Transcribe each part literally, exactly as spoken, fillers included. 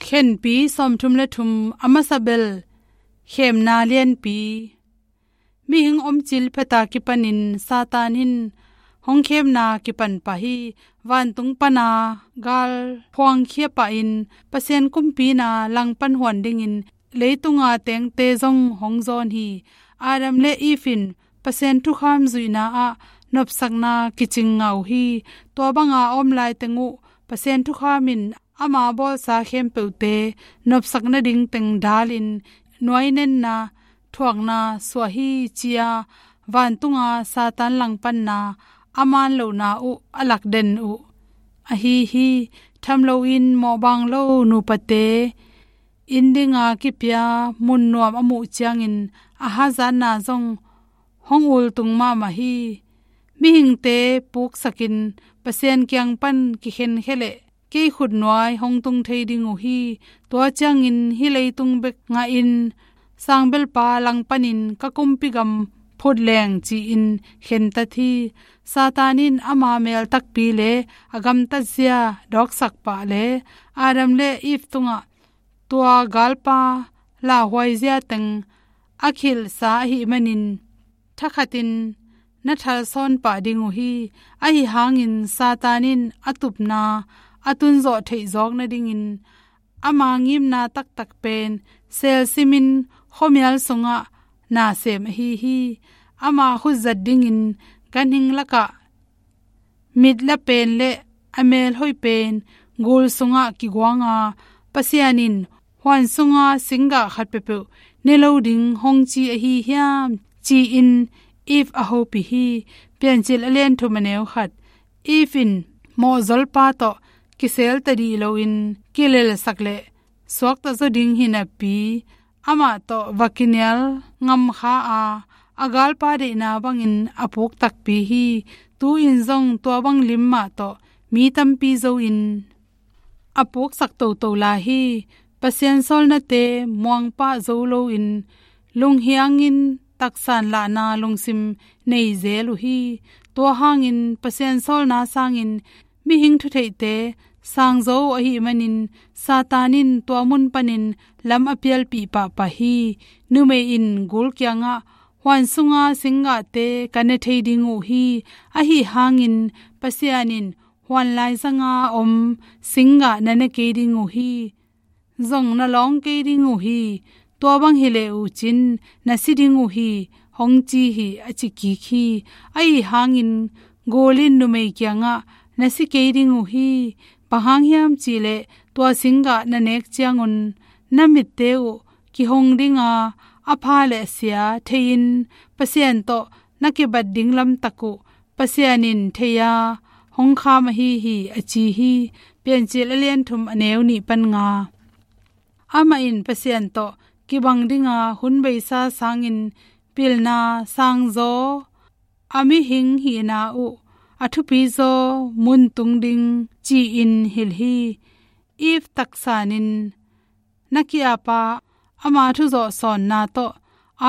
Khenpi sawmthum le thum. A masa bel, khemna lianpi. Mihing omcil pheta kipanin Satan in hong khemna kipan pah hi. Vantung pana gal phuangkhia pahin Pasian kumpi na langpan huan dingin leitunga tengte zong hong zawn hi. Adam le Eve in Pasian thukham zuihna ah nopsakna kicing ngah uh hi. Tua banga a om laiteng uh Pasian thukham in ama bawlsa khempeuhte nopsak nading teng dalin nuainenna thuakna suah hi, ci-a vantunga Satan langpanna a man lohna uh a lakden uh ahi hi. Tham loin mawhbang lo nupate inn dinga kipia mun nuam a muh ciangin a hazatna zong hong ultung mahmah hi. Mihingte puksakin Pasian kiang pan kikhenkhia leh kei khutnuai hong tung thei ding uh hi. Tua ciangin hih leitung bek ngahin sangbelpa langpanin ka kumpi gam phut leng, ci-in khentat hi. Satan in ama mel takpi le a gamtatzia dawksak pah le Adam le Eve tungah tua galpa lauhuaizia teng a khilhsa ahih manin thakhatin na thalsawn pah ding uh hi. Ahi hangin Satan in a tupna a tunzawh theihzawk nadingin ama ngimna taktak pen selsimin khuamial sungah nasem ahi hi. Ama khutzat dingin ganhing lakah mitla pen le a melhoih pen gul sungah kiguanga, Pasian in huan sunga singgah khat peuhpeuh ne lo ding hong ci ahi hiam, ci-in Eve a hopih hi. Piancil a lian thum a neu khat. Eve in mawhzolpa tawh kisel tadih loin kilelsak le suakta zaw ding hi napi, amah tawh va kinial ngamkha a, a galpa deihna bangin a puk takpi hi. Tu-in zong tua bang lim mah tawh mi tampi zo in a puksak toto lai hi. Pasian sawlnate muangpah zo loin lunghiangin taksan lahna lungsim nei zel uh hi. Tua hangin Pasian sawlna sangin mihing thutheihte sangzaw uh ahih manin Satan in tua mun panin lam a pialpih pahpah hi. Numei in gul kiangah huan sunga singgahte ka ne thei ding uh hi. Ahi hangin Pasian in huan laizanga om singgah na ne kei ding uh hi. Zong na lawng kei ding uh hi. Tua bang hi leh uh cin na si ding uh hi, hong ci hi, a ci kik hi. Ahi hangin gul in numei kiangah na si kei ding uh hi. Bang hang hiam cih leh tua singgah na nek ciangun na mitte uh kihong dinga, a pha le a sia thei-in Pasian tawh na kibat ding lamtak uh Pasian in thei-a hong kham ahi hi, a ci hi. Piancil a lian thum a neu nih pan nga. Amah in Pasian tawh kibang dinga hun beisa sangin pilna sangzaw, a mihing hihna uh a thupizaw mun tung ding ci-in hilh hi. Eve taksanin na ki-apa ama thuzawh sawnna tawh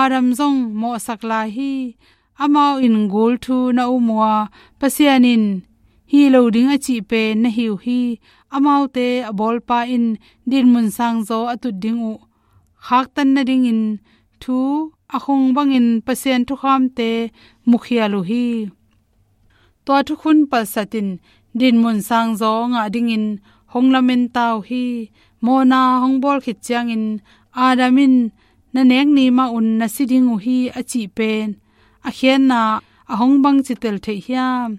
Adam zong mawhsak lai hi. Amau in gul thu na um uh a, Pasian in hih lo ding a cih pen na hi uh hi. Amaute a bawlpa in dinmun sangzaw a tut ding uh khaktan nadingin thu a khung bangin Pasian thukhamte mukhial uh hi. Tua thukhun palsatin dinmun sangzaw ngah dingin hong lamen ta uh hi. Mawhna hong bawl khit ciangin Adam in na nek ni mah un na si ding uh hi, a cih pen a khiatna a hong bangci tel theih hiam?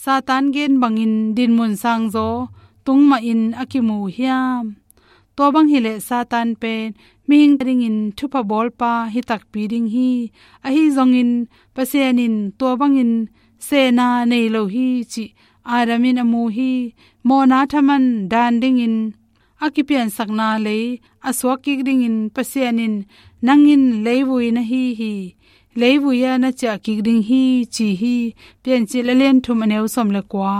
Satan gen bangin dinmun sangzaw tung mahin a kimu uh hiam? Tua bang hi leh Satan pen mihing a dingin thupha bawlpa hi takpi ding hi. Ahi zongin Pasian in tua bangin sehna nei lo hi cih Adam in a mu hi. Mawhna thaman dan dingin a kipiansakna lei a suak kik dingin Pasian in nang in leivui na hi hi, leivui ah na ciah kik ding hi, ci hi. Piancil a lian thum a neu sawm le kua.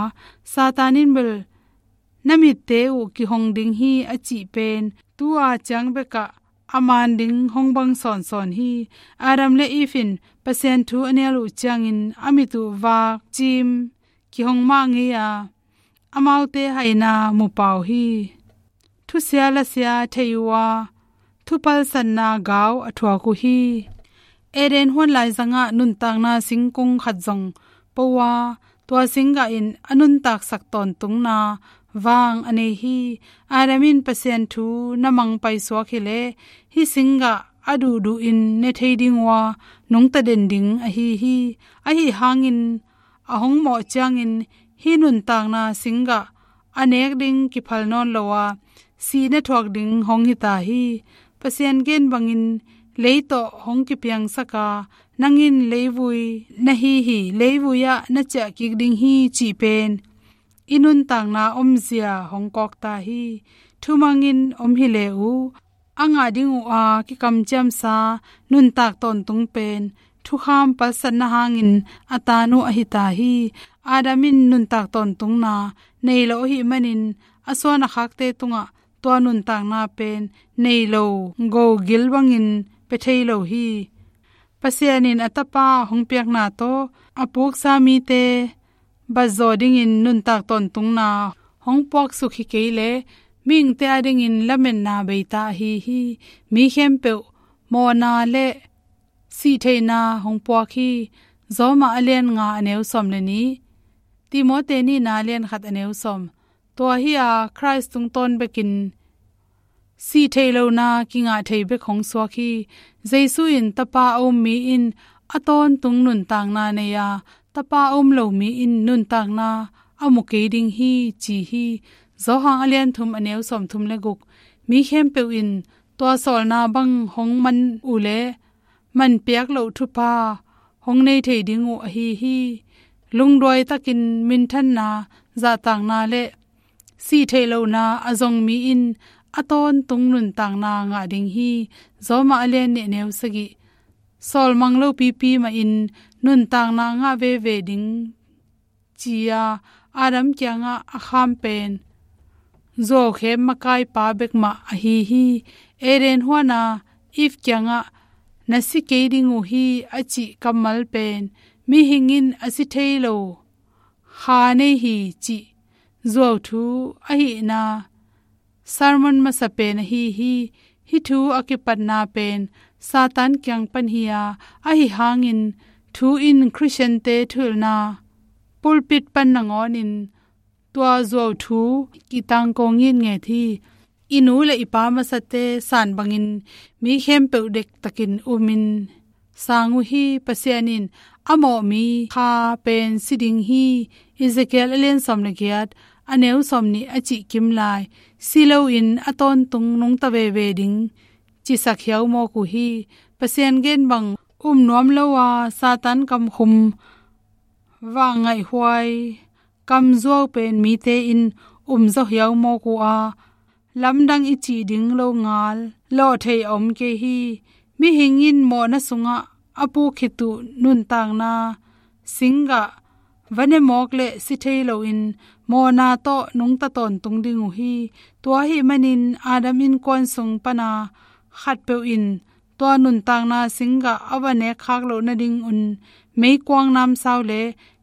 Satan in bel na mitte uh kihong ding hi, a cih pen tu-a ciang bekah a man ding hong bang sawnsawn hi. Adam le Eve in Pasian thu a nial uh ciangin a mit uh vak cim kihong mah ngei a, amaute haina mu pah uh hi. thusia lasia thei uh a, thupalsatna gau a thuak uh hi. Eden huan laizangah nuntakna singkung khat zong po uh a, tua singgah in a nuntaksak tawntungna vang a nei hi. Adam in Pasian thu na mang paisuak hileh, hih singgah a duhduh in ne thei ding uh a, nungta den ding ahi hi. Ahi hangin a hong mawh ciangin hih nuntakna singgah a nek ding kiphal nawn lo a, sihna thuak ding hong hita hi. Pasian gen bangin lei tawh hong kipiangsak a, nang in leivui na hi hi, leivui ah na ciah kik ding hi cih pen i nuntakna omzia hong kawkta hi. Thumangin om hi le uh, a ngah ding uh a kikamciamsa nuntak tawntung pen thukham palsatna hangin a tan uh ahi ta hi. Adam in nuntak tawntungna nei lo ahih manin a suan a khakte tungah tua nuntakna pen nei lo, go gil bangin pia thei lo hi. Pasian in a Tapa hong piakna tawh a puksa mite batzaw dingin nuntak tawntungna hong puaksuk hi kei leh, mihingte adingin lametna beita ahi hi. Mi khempeuh mawhna le sihtheihna hong puak hi. Roma a lian nga a neu sawm le nih, Timoti nihna a lian khat a neu sawm. Tua hi a, Khrist tungtawn bekin sihtheih lohna kingah thei bek hong suak hi. Jesu in Tapa a um mi in a tawntung nuntakna nei a, Tapa a um lo mi in nuntakna a mu kei ding hi ci hi. Johan a lian thum a neu sawm thum le guk. Mi khempeuh in tua sawlna bang hong man uh leh, man piak loh thupha hong nei thei ding uh ahi hi. Lungduai takin minthanna, zahtakna le sihtheih lohna a zong mi in a tawntung nuntakna ngah ding hi. Roma a lian nih a neu sagih. Sawlmang lo pipi mahin nuntakna ngah veve ding ci-a Adam kiangah a kham pen zuaukhem makaipa bekmah ahi hi. Eden huana Eve kiangah na si kei ding uh hi a cih kammal pen mihing in a si thei lo kha nei hi cih zuauthu ahihna sermon masa pen ahi hi. Hih thu a kipatna pen Satan kiang pan hi a, ahi hangin thu in Khristiante thuhilhna pulpit pan nangawnin tua zuauthu kitangko ngitnget hi. I nu le i pa masate san bangin mi khempeuh dektakin umin sang uh hi. Pasian in a mawh mi kha pen si ding hi. Ezekiel a lian sawm le giat a neu sawm nih a cih kim lai, si loin a tawntung nungta veve ding cisak hiau mawk uh hi. Pasian gen bang um nuam lo a, Satan kamkhum vang ngaihhuai kamzuau pen mite in um zaw hiau mawk uh a, lamdang i cih ding lo ngal lawh thei a om kei hi. Mihing in mawhna sungah a puk khit uh nuntakna singgah va ne mawk le si thei loin mawhna tawh nungta tawntung ding uh hi. Tua ahih manin Adam innkuan sung pana khatpeuh in tua nuntakna singgah a va nek khak loh nadingun meikuang namsau le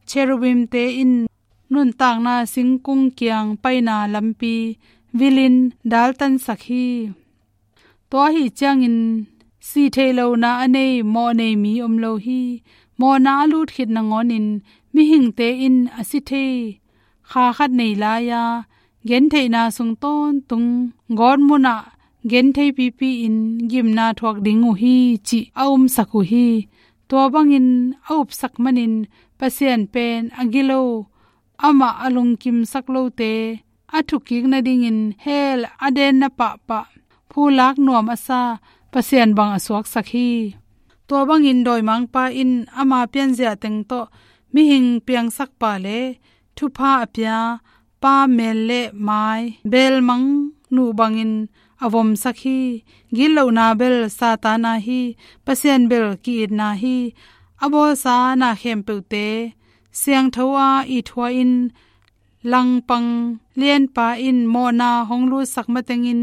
cherubimte in nuntakna singkung kiang paina lampi vilin daltansak hi. Tua ahi ciangin sihtheih lohna a nei, mawh nei mi om lo hi. Mawhna a lut khit nangawnin mihingte in a si thei kha khat nei lai-a, gentheihna sung tawntung gawtmunah genthei pipi-in gimna thuak ding uh hi cih a umsak uh hi. Tua bangin a upsak manin Pasian pen a gilo, amah a lungkimsak lote a thukik nadingin hell a denna pahpah phulak nuam a sa Pasian bang a suaksak hi. Tua bangin dawimangpa in ama pianzia teng tawh mihing piangsak pa le thupha a pia pa mel le mai belmang nuh bangin a vomsak hi. Gitlohna bel Satan a hi. Pasian bel ki-itna hi. A bawlsa na khempeuhte siangtho a it hua in, langpang lianpa in mawhna hong lutsak matengin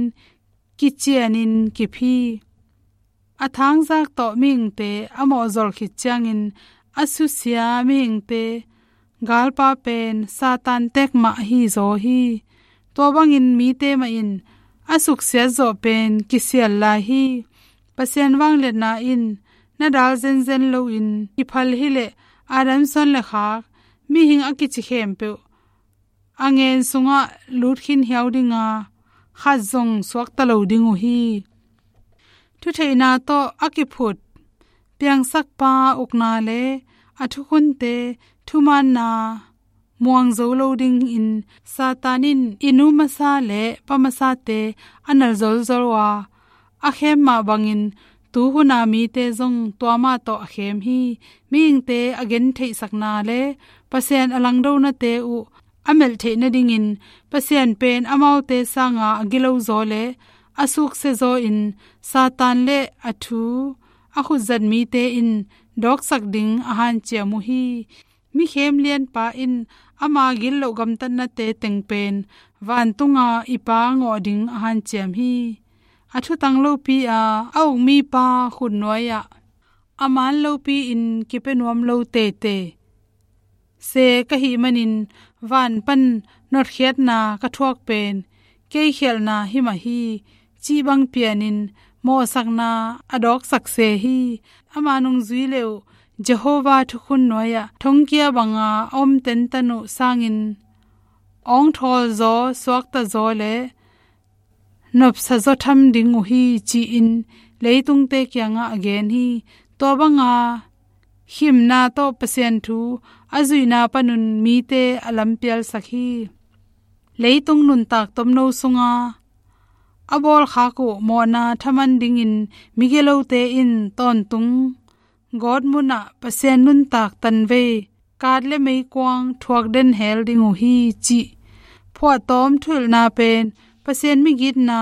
kicianin kip hi. A thangzak tawh mihingte a mawhzol khit ciangin a susia mihingte galpa pen Satan tek mah ahi zaw hi. Tua bangin mite mah in a suksiat zawh pen kisial lai hi. Pasian vangliatna in na dal zenzen loin kiphal hileh Adam suan le khak mihing a kici khempeuh a ngen sungah lut khin hiau dinga khat zong suakta lo ding uh hi. Thutheihna tawh a kiphut piangsakpa ukna le a thukhunte thumaanna muang zo lo dingin Satan in i nu masa le pa masate a nal zolzol uh a, a khem mah bangin tu huna mite zong tua mah tawh a khem hi. Mihingte a gentheihsakna le Pasian a langdonate uh a melh theih nadingin Pasian pen amaute sanga a gilo zaw le a sukse zaw in Satan le a thu a khutzat mite in dawksak ding a hanciam uh hi. Mi khem lianpa in ama gitloh gamtatnate teng pen vantunga i Pa ngawh ding a hanciam hi. A thutang lopi a a uk mipa khut nuai-ah a maan lopi-in kipia nuam lo teitei se ka hih manin van pan notkhiatna ka thuak pen kei khialhna hi mah hi, cih bang pianin mawhsakna a dawksak se hi. Ama nungzui le uh Jehovah thukhun nuai-ah thongkia banga a om tentan uh sangin awngthawl zaw, suakta zaw le nopsa zaw tham ding uh hi, ci-in leitungte kiangah a gen hi. Tua banga khimna tawh Pasian thu a zuihna panun mite a lampialsak hi. Leitung nuntak tomno sunga a bawlkhak uh mawhna thaman dingin migilote in tawntung gawtmunah Pasian nuntak tanvei kat le meikuang thuak den hel ding uh hi, cih phuahtawm thuhilhna pen Pasian migitna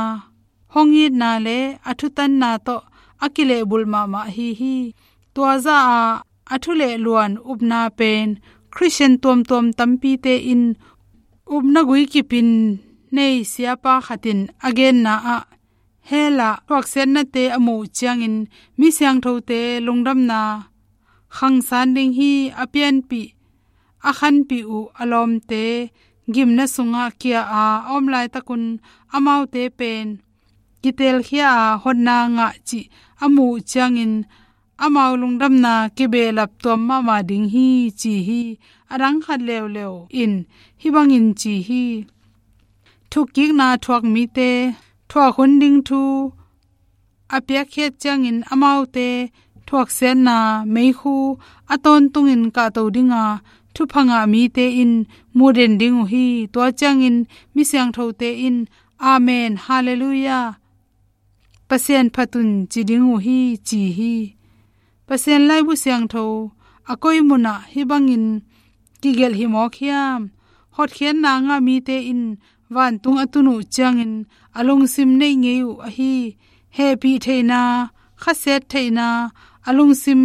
hong itna le a thutanna tawh a kilehbulh mahmah ahi hi. Tua zah a a thulehluan upna pen Khristian tuamtuam tampite in upna guikipin nei siapa khat in a genna ah hell ah thuaksiatnate a muh ciangin mi siangthote lungdamna khangsan ding hi. A pianpih a khanpih uh a lawmte gimna sungah kia a a om laitakun amaute pen kitelkhia a hotna ngah cih a muh ciangin amau lungdamna kibehlap tuam mahmah ding hi, ci hi. A dang khat leuleu in hih bangin ci hi. Thukkikna thuak mite thuak hun ding thu a piakkhiat ciangin amaute thuaksiatna meikhu a tawntungin kahto dinga thupha ngah mite in muh den ding uh hi. Tua ciangin mi siangthote in Amen, Halleluiah, Pasian phat un ci ding uh hi, ci hi. Pasian laibu siangtho a koi munah hih bangin kigelh hi mawk hiam? Hotkhiatna ngah mite in vantung a tun uh ciangin a lungsim neih ngei uh ahi. Hehpih theihna, khasiat theihna, a lungsim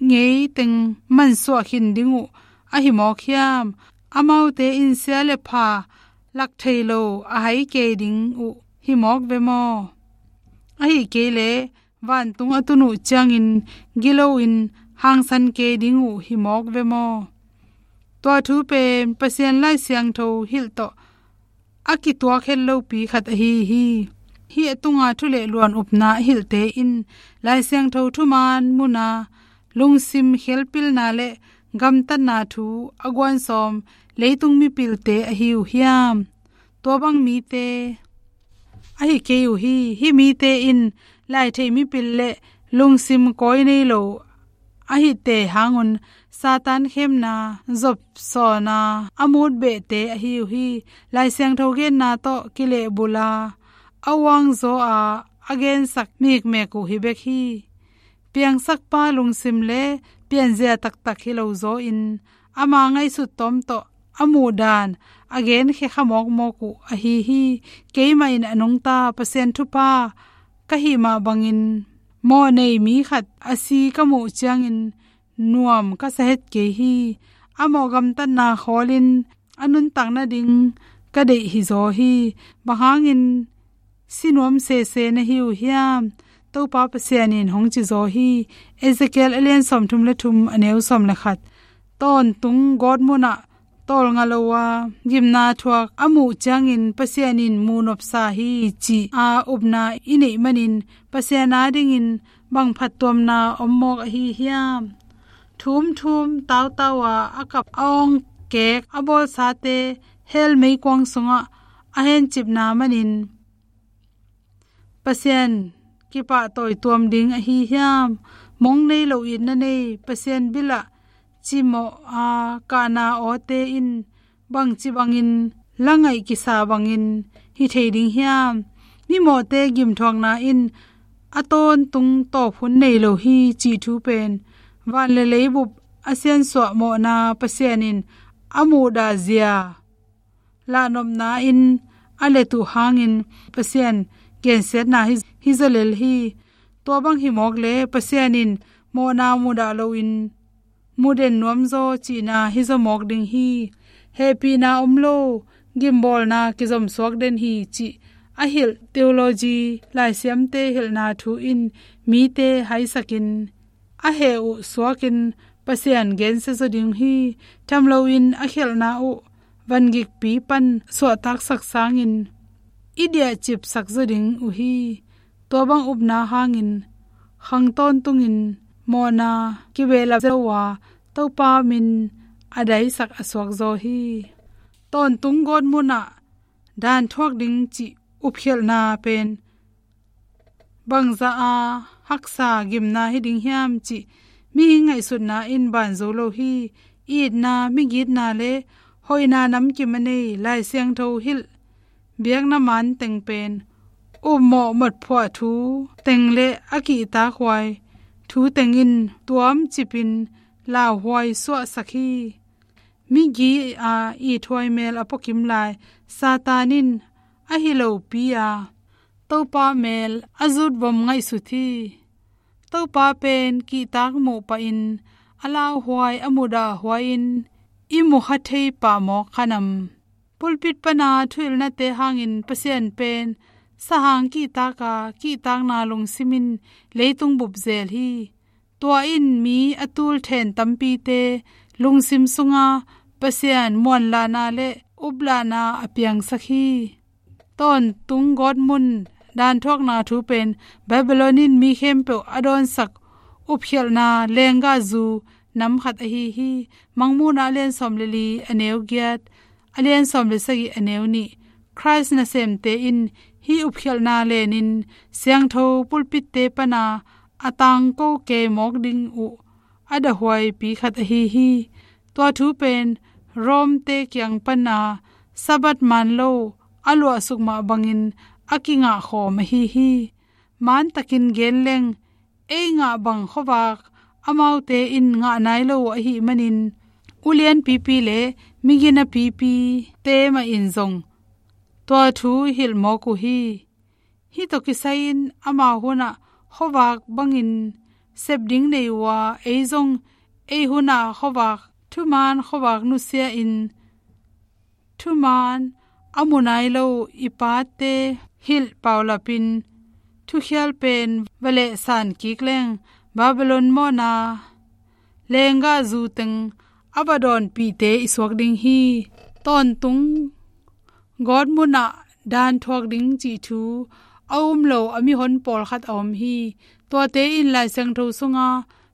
ngei teng mansuah khin ding uh ahi mawk hiam? Amaute in sia le pha lak thei lo a hai kei ding uh hi mawk ve maw? Ahi kei leh vantung a tun uh ciangin gilo in hangsan kei ding uh hi mawk ve maw? Tua thu pen Pasian Lai Siangtho hilh tawh a kituak het lopi khat ahi hi. Hih a tunga thu le luan upna a hilhte in Lai Siangtho thuman muna lungsim khelpilna le gamtatna thu a guansawm leitung mipilte ahi uh hiam? Tua bang mite ahi kei uh hi. Hih mite in laitheih mipil le lungsim kawi nei lo ahite hangun Satan khemna zopsawna a mut behte ahi uh hi. Lai Siangtho genna tawh kilehbula a uangzaw a a gensak mikmek uh hi bek hi. Piangsakpa lungsim le pianzia taktak hi lo zawin ama ngaihsut tawm tawh a muhdan a genkhia kha mawkmawk uh ahi hi. Keimah in a nungta Pasian thupha ka hih mah bangin mawh nei mi khat a si ka muh ciangin nuam ka sa het kei hi. A mawh gamtatna khawlin a nuntak nading ka deih hi zaw hi. Bang hangin si nuam sese na hi uh hiam? Topa Pasian in hong ci zaw hi. Ezekiel a lian sawmthum le thum a neu sawm le khat. Tawntung gawtmunah tawlnga lo a, gimna thuak a muh ciangin Pasian in muh nopsa hi ci-a upna i neih manin Pasian adingin bang phattuamna om mawk ahi hiam? Thumthum tautau a, a kap a awngkek a bawlsate hell meikuang sungah a hencipna manin Pasian kipahtawi tuam ding ahi hiam? Mong nei lo itna nei, Pasian bilah cimawh a kahna awte in bangci bangin la ngaih kisa bangin hi thei ding hiam? Mimawhte gimthuakna in a tawntung tawp hun nei lo hi cih thu pen van le leibup a siansuah mawhna Pasian in a muhdahzia lahnopna in a let uh hangin Pasian gensiatna hi, hi zaw lel hi. Tua bang hi mawk le Pasian in mawhna mudah loin muh den nuamzaw cihna hi zaw mawk ding hi. Hehpihna om lo, gimbawlna kizomsuak den hi cih a hilh theology laisiamte hilhna thu in mite haisakin a heh uh suakin Pasian gensia zaw ding hi. Tham loin a khialhna uh vangikpi pan suahtaksak sangin i diahcipsak zaw ding uh hi. Tua bang upna hangin khang tawntungin mawhna kibehlap zo a Topa min a daisak a suak zaw hi. Tawntung gawtmunah dan thuak ding cih upkhialhna pen bangzah a haksa gimna hi ding hiam cih mihing ngaihsutna in ban zo lo hi. Itna, migitna le hoihna namkim a nei Lai Siangtho hilh biakna man teng pen upmawh motphuah thu teng le a kihtakhuai thu teng in tuamcipin lauhuai suahsak hi. Migi a ithuai mel a puakim lai Satan in a hi lopi a Topa mel a zutvom ngaihsut hi. Topa pen kihtak muh pahin a lauhuai a muhdahhuai in i mukha thei pah mawk kha nam? Pulpit pana thuhilhnate hangin Pasian pen sahang kihtaka kihtakna lungsimin leitung bup zel hi. Tua in mi a tul then tampite lungsim sunga Pasian muanlahna le uplahna a piangsak hi. Tawntung gawtmun danthuakna thu pen Babylon in mi khempeuh a dawnsak upkhialhna lenggahzu nam khat ahi hi. Mangmuhna a lian sawm le li a neu giat, a lian sawm le sagih a neu nih. Khrist nasemte in hih upkhialhna lenin siangtho pulpitte pana a tangko kei mawk ding uh a dahhuaipi khat ahi hi. Tua thu pen Rome-te kiang pana Sabbath man lo a luahsuk mah bangin a kingahkhawm ahi hi. Mantakin gen leng, ei ngah bang khuavak amaute in ngah nai lo uh ahih manin ulianpipi le miginapipi te mah in zong tua thu hilh mawk uh hi. Hih tawh kisai-in amau hunah khuavak bangin sep ding nei uh a, ei zong ei hunah khuavak thuman, khuavak nusia-in thuman a mu nai lo i pate hilh paulapin thukhial pen va lehsan kik leng Babylon mawhna lenggahzu teng a va dawnpihte i suak ding hi. Tawntung gawtmunah danthuak ding cih thu a um lo a mihon pawlkhat a om hi. Tuate in Lai Siangtho sunga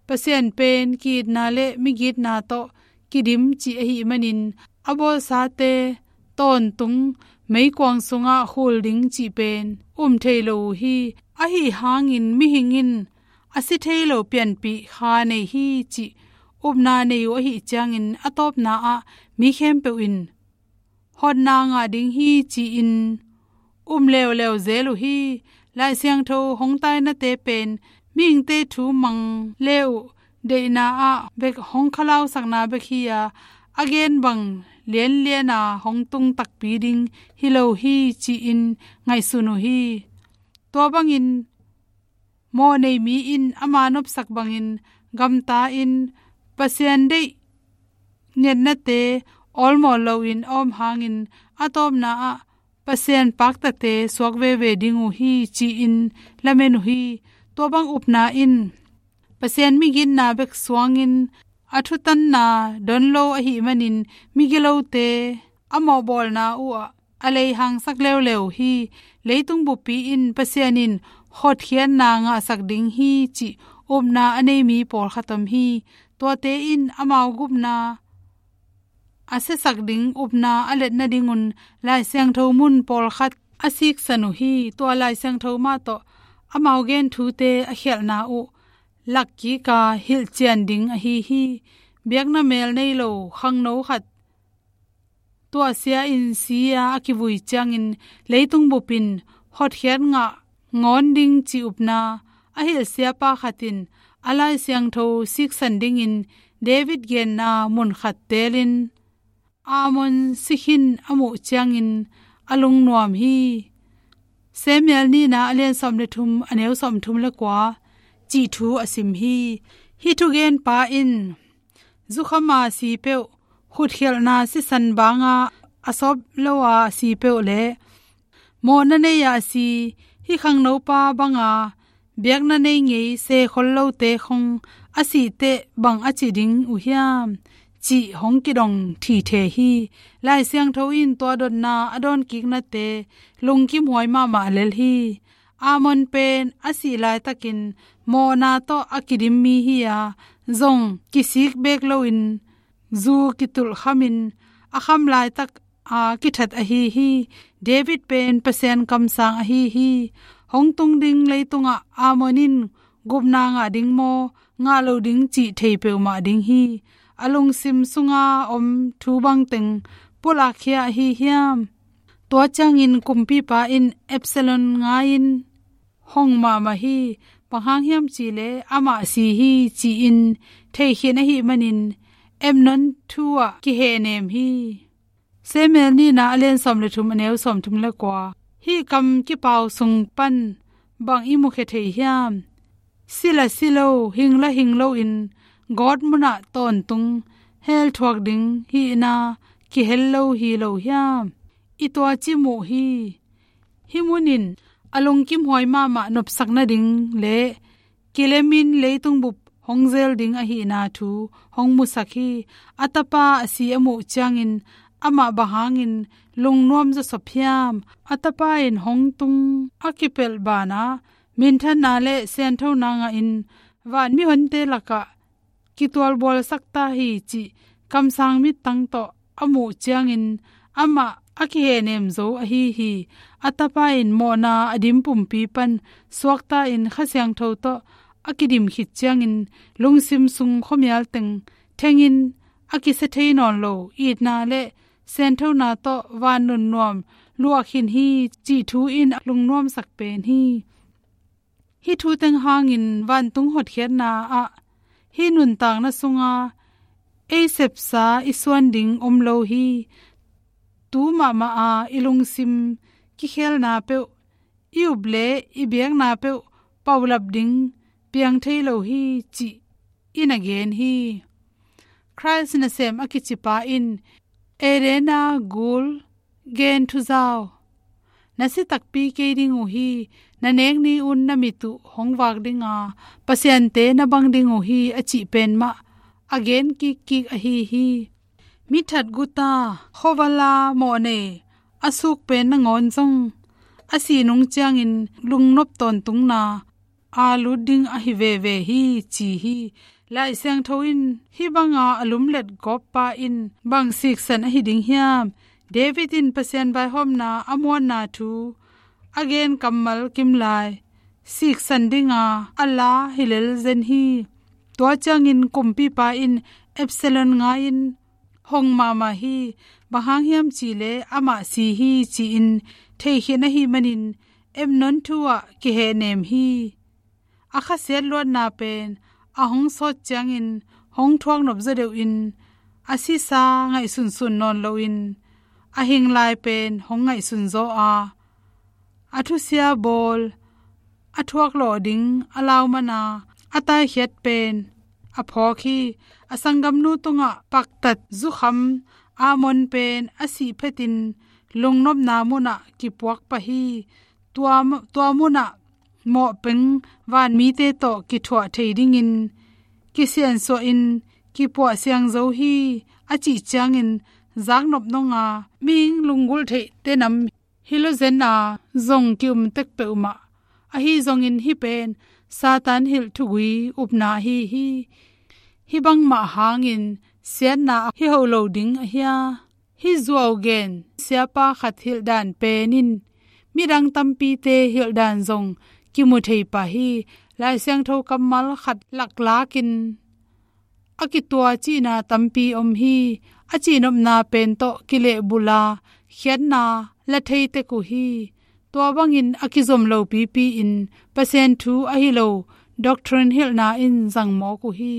Pasian pen ki-itna le migitna tawh kidim cih ahih manin a bawlsate tawntung meikuang sungah khul ding cih pen um thei lo uh hi. Ahi hangin mihing in a si thei lo pianpih kha nei hi cih upna nei uh ahih ciangin a tawpna ah mi khempeuh in hotna ngah ding hi ci-in um leuleu zel uh hi. Lai Siangtho hong tainate pen mihingte thu mang le uh deihna ah bek hong khalausakna bek hi a, a gen bang lianlian a hong tung takpi ding hi lo hi ci-in ngaihsun uh hi. Tua bangin mawhnei mi in ama nopsak bangin gamta-in Pasian deih ngetnate awlmawl loin a om hangin a tawpna ah Pasian paktate suak veve ding uh hi ci-in lamen uh hi. Tua bang upna in Pasian migitna bek suangin a thutanna don lo ahih manin migilote a mawhbawlna uhah a leihangsak leuleu hi. Leitung buppi in Pasian in hotkhiatna ngahsak ding hi cih upna a nei mi pawlkhat om hi. Tuate in amau gupna a siasak ding upna a let nadingun Lai Siangtho mun pawlkhat a siksan uh hi. Tua Lai Siangtho mah tawh amau gen thute a khialhna uh lakkika hilhcian ding ahi hi. Biakna mel nei lo khangno khat tuahsia-in si-a a kivui ciangin leitung bupin hotkhiat ngah ngawn ding ci upna a hilh siapa khat in a Lai Siangtho siksan dingin David genna mun khat teelin Ammon si khin a muh ciangin a lungnuam hi. Samuel nihna a lian sawm le thum, a neu sawm thum le kua cih thu a sim hi. Hih thugenpa in zukhama si peuh, khutkhialhna sisan banga a sawp lo a si peuh le mawhna nei-a si, hih khangnopa banga biakna nei ngei sekhol lote khong a sihteh bang a ci ding uh hiam cih hong kidong thithe hi. Lai Siangtho in tua dotna a dawnkiknate lungkimhuai mahmah lel hi. Ammon pen a sih laitakin mawhna tawh a kidim mi hi-a, zong kisik beek loin zu kitulh khamin a kham laitak a kithat ahi hi. David pen Pasian kamsang ahi hi. Hong tung ding leitungah Ammon in gupna ngah ding maw, ngah lo ding cih thei peuhmah ding hi. A lungsim sunga om thu bangteng pulakkhia ahi hiam? Tua ciangin kumpipa in Absalom ngai-in hong mahmah hi. Bang hang hiam cihleh amah si hi ci-in theikhin ahih manin Amnon thu-ah kihehnem hi. Samuel nihna a lian sawm le thum, a neu sawm thum le kua. Hih kam kipau sung pan bang i mukhia thei hiam? Si la si lo, hing la hing loin gawt munah tawntung hell thuak ding hihna kihel lo hi lo hiam? I tuaci muh hi. Hih munin a lungkimhuai mahmah nopsak nading le kilemin leitung bup hong zel ding ahihna thu hong musak hi. A tapa a si a muh ciangin amah bang hangin lungnuam zawsop hiam? A tapa in hong tung a kipelh banah minthanna le sianthona ngahin van mihonte lakah kitualbualsak ta hi cih kamsang mittang tawh a muh ciangin amah a kihehnem zo ahi hi. A tapa in mawhna a dim pumpi pan suakta-in Kha Siangtho tawh a kidim khit ciangin lungsim sung khuamial teng thengin a kisia thei nawn lo itna le sianthona tawh van nunnuam luah khin hi cih thu in a lungnuamsak pen hi. Hih thu teng hangin vantung hotkhiatna ah hih nuntakna sunga ei sepsa i suan ding om lo hi. Tu mahmah a i lungsim kikhelna peuh, i up le i biakna peuh paulap ding piang thei lo hi cih in a gen hi. Christ nasem a kicipa in Eden-a gul gen thuzau, na si takpi kei ding uh hi. Na nek ni-un na mit uh hong vak dinga pasiante na bang ding uh hi, a cih pen mah a gen kikkik ahi hi. Mi that guta, khuavala mawhnei a suk pen nangawn zong a sih nung ciangin lungnop tawntungna a lut ding ahi veve hi ci hi. Lai Siangtho in hih banga a lumlet gawppa in bang siksan ahi ding hiam? David in Pasian vaihawmna a muanna thu a gen kammal kimlai siksan dinga a la hi lel zen hi. Tua ciangin kumpipa in Absalom ngai-in hong mahmah hi. Bang hang hiam cihleh amah si hi ci-in theikhin ahih manin Amnon thu-ah kihehnem hi. A khasiat luatna pen a hong sawt ciangin hong thuak nop zaw deuhin a sisa ngaihsunsun nawn loin a hing lai pen hong ngaihsun zaw a, a thusia bawl a thuaklawh ding a lau mana a taikhiat pen a phawk hi. A sanggamnu tungah paktat zukham Ammon pen a sih phetin lungnopna munah kipuak pah hi. Tua, tua munah mawhpeng vanmite tawh kithuah thei dingin kisiansuahin kipuah siang zo hi, a cih ciangin zaknop nonga mihing lunggulh theihte nam hi lo zen a zong ki-um tek peuhmah. Ahi zongin hih pen Satan hilh thugui upna ahi hi. Hih bangmah hangin siatna hi hoh lo ding a hia? Hih zuau gen siapa khat hilhdan pen in midang tampite hilhdan zong kimu thei pah hi. Lai Siangtho kammal khat laklakin a kituah cihna tampi om hi. A cihnopna pen tawh kilehbulh a, khiatna la thei tek uh hi. Tua bangin a kizom lo pipi in Pasian thu ahi lo doctrine hilhna in zang mawk uh hi.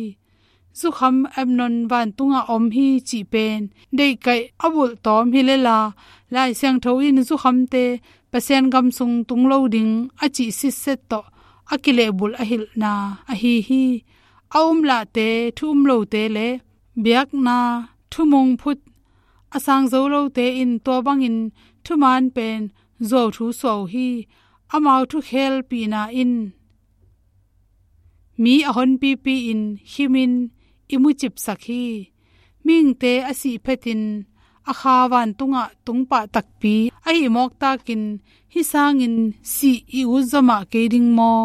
Zukham Amnon vantungah om hi cih pen deihkaih a bulh tawm hi lel a, Lai Siangtho in zukhamte Pasian gam sung tung lo ding a cih sitset tawh a kilehbulh a hilhna ahi hi. A umlahte, thu um lote le biakna thumung phut a sang zo lote in tua bangin thuman pen zuau thu suah uh hi. Amau thukhelpihna in mi a honpipi-in khimin i mucipsak hi. Mihingte a sih phetin a kha vantungah tungpah takpi ahih mawktakin hih sangin sih i utzaw mah kei ding maw?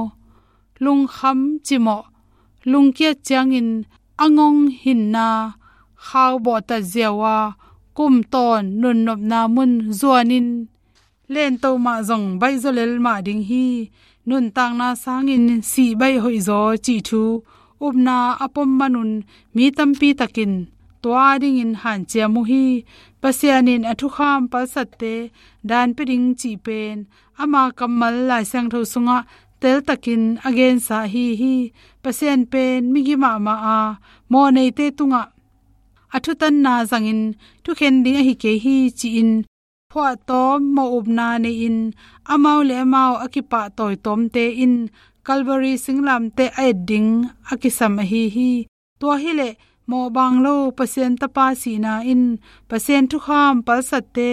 Lungkham cimawh, lungkiat ciangin a ngong hinna khau bawhtat ziau a, kum tawn nunnopna mun zuanin lento mah zong baihzaw lel mah ding hi. Nuntakna sangin sih baih hoihzaw cih thu upna a pom manun mi tampi takin tua dingin hanciam uh hi. Pasian in a thukham palsatte dan pia ding cih pen ama kammal Lai Siangtho sungah teltakin a gensa ahi hi. Pasian pen migi mahmah a, mawhneite tungah a thutanna zangin thukhen ding ahi kei hi ci-in phuahtawm mawhupna nei-in amau le amau a kipahtawi tawmte in Calvary singlamteh a et ding a kisam ahi hi. Tua hileh mawhbang lo Pasian Tapa sihna in Pasian thukham palsatte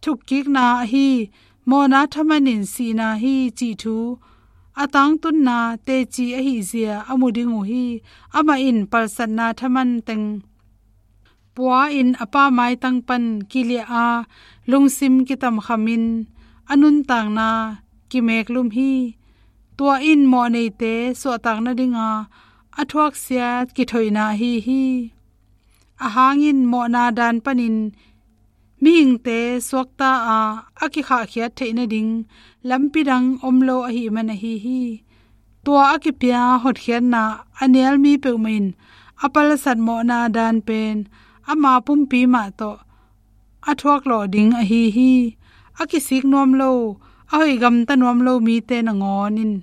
thukkikna ahi, mawhna thamanin sihna hi cih thu a tangtunna teci ahihzia a mu ding uh hi. Amah in palsatna thaman teng pua-in a Pa maitang pan kiliah a, lungsim kitamkhamin a nuntakna kimeklum hi. Tua in mawhneite suahtak nadinga a thuaksiat kithoihna ahi hi. A hangin mawhna dan panin mihingte suakta a, a kikhahkhiat theih nading lampi dang om lo ahih man ahi hi. Tua a kipia hotkhiatna a nial mi peuhmah in a palsat mawhna dan pen ama pumpi mah tawh a thuaklawh ding ahi hi. A kisik nuam lo, a hoih gamta nuam lo mite nangawn in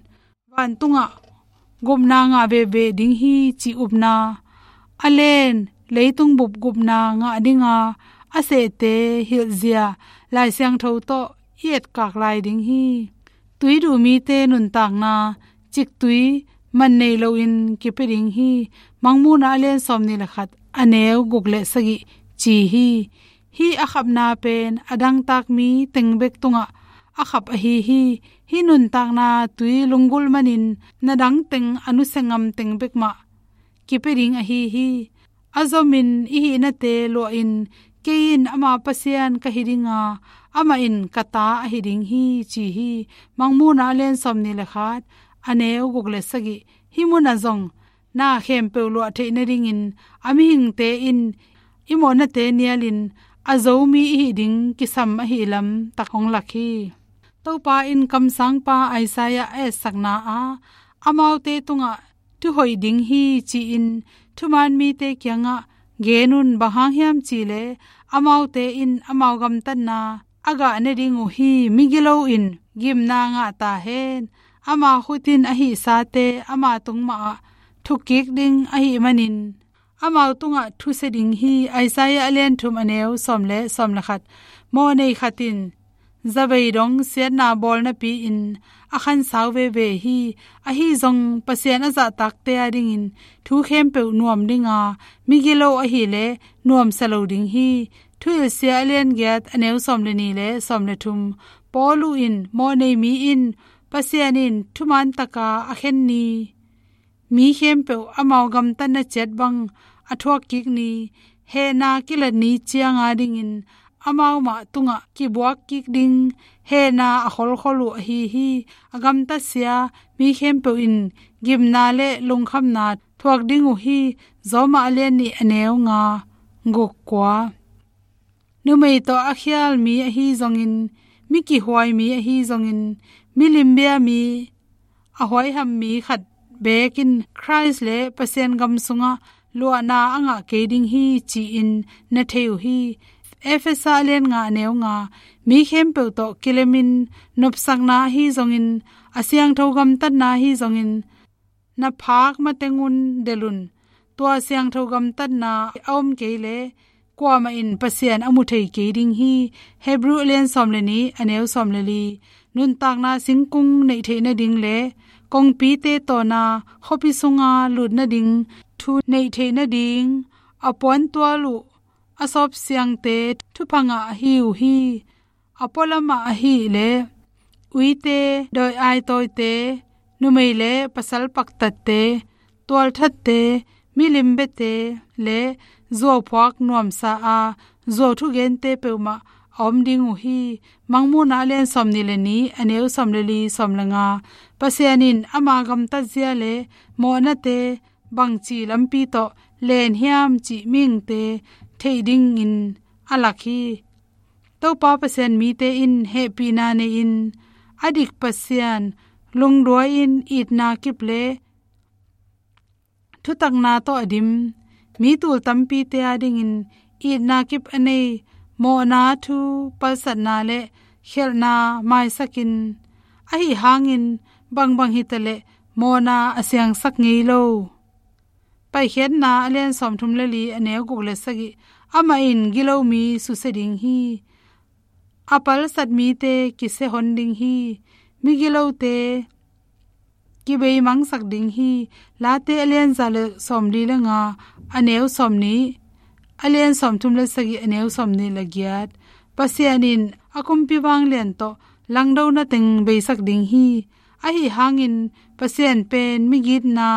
vantungah gupna ngah veve ding hi cih upna, a len leitung bup gupna ngah dinga a sehte hilhzia Lai Siangtho tawh i etkak lai ding hi. Tui duh mite nuntakna ciktui man nei loin kipia ding hi. Mangmuhna a lian sawmnih le khat, a neu guk le sagih ci hi. Hih a khapna pen a dangtak mi teng bek tungah a khap ahi hi. Hih nuntakna tui lunggulh manin na dang teng a nusia ngam teng bek mah kipia ding ahi hi. A zomin i hihnate luahin, kei in ama Pasian ka hi dinga, amah in ka ta ahi ding hi ci hi. Mangmuhna a lian sawmnih le khat, a neu guk le sagih. Hih munah zong na khempeuh luah theih nadingin a mihingte in i mawhnate nialin a zo mi i hih ding kisam ahih lamtak hong lak hi. Topa in kamsangpa Isaiah a etsakna ah amaute tungah thu hoih ding hi ci-in thuman mite kiangah gen un. Bang hang hiam cihleh amaute in amau gamtatna a gah ne ding uh hi. Migilo in gimna ngah tahen, ama khut in a hihsate ama tung mahah thukkik ding ahih manin amau tungah thusia ding hi. Isaiah a lian thum, a neu sawm le sawm le khat. Mawhnei khat in zavei dong siatna bawl napi-in a khansau veve hi. Ahi zong Pasian a zahtakte adingin thu khempeuh nuam dinga, migilo ahileh nuamsa lo ding hi. Thuhilhsia a lian giat, a neu sawm le nih le sawm le thum. Paulu in, mawhnei mi in Pasian in thuman taka a khen ni mi khempeuh amau gamtatna ciat bang a thuak kik ni, hehna kilat ni ciang a dingin amau mah tungah kibuak kik ding hehna a kholkhol uh ahi hi. A gamtatsia mi khempeuh in gimna le lungkhamna thuak ding uh hi. Roma a lian nih, a neu nga, guk, kua. Numei tawh a khial mi ahi zongin, mi kihuai mi ahi zongin, mi limbia mi, a huaiham mi khat beek in Khrist le Pasian gam sungah luahna a ngah kei ding hi, ci-in na thei uh hi. Efesa a lian nga, a neu nga, mi khempeuh tawh kilemin nopsakna ahi zongin, a siangtho gamtatna ahi zongin, na phak mateng un delh un. Tua siangtho gamtatna a om kei leh kuamah in Pasian a mu thei kei ding hi. Hebru a lian sawm le nih, a neu sawm le li. Nuntakna singkung neih theih nading le kongpite tawna khuapi sunga lut nading thu neih theih nading a puantual uh a sawpsiangte thupha ngah ahi uh hi. A pualamah ahih leh uite, dawi aitawite, numei le pasal paktatte, tualthatte, milim biate le zuauphuak nuamsa a zuau thugente peuhmah a om ding uh hi. Mangmuhna a lian sawm nih le nih, a neu sawm le li, sawm le nga. Pasian in ama gamtatzia le mawhnate bangci lampi tawh len hiam cih mihingte theih dingin a lak hi. Topa Pasian mite in hehpihna nei-in a dik Pasian lungduai-in itna kip le thutakna tawh a dim mi tul tampite a dingin itna kip a nei, mawhna thu palsatna le khialhna maisakin, ahi hangin bangbang hitaleh mawhna a siangsak ngei lo. Paikhiatna a lian sawmthum le li, a neu guk le sagih. Amah in gilo mi susia ding hi. A palsat mite kisia hon ding hi. Migilote kibeimangsak ding hi. Late a lian za le sawmli le nga, a neu sawmnih, a lian sawmthum le sagih, a neu sawmnih le giat. Pasian in a kumpi vanglian tawh langdona teng beisak ding hi. Ahi hangin Pasian pen migitna,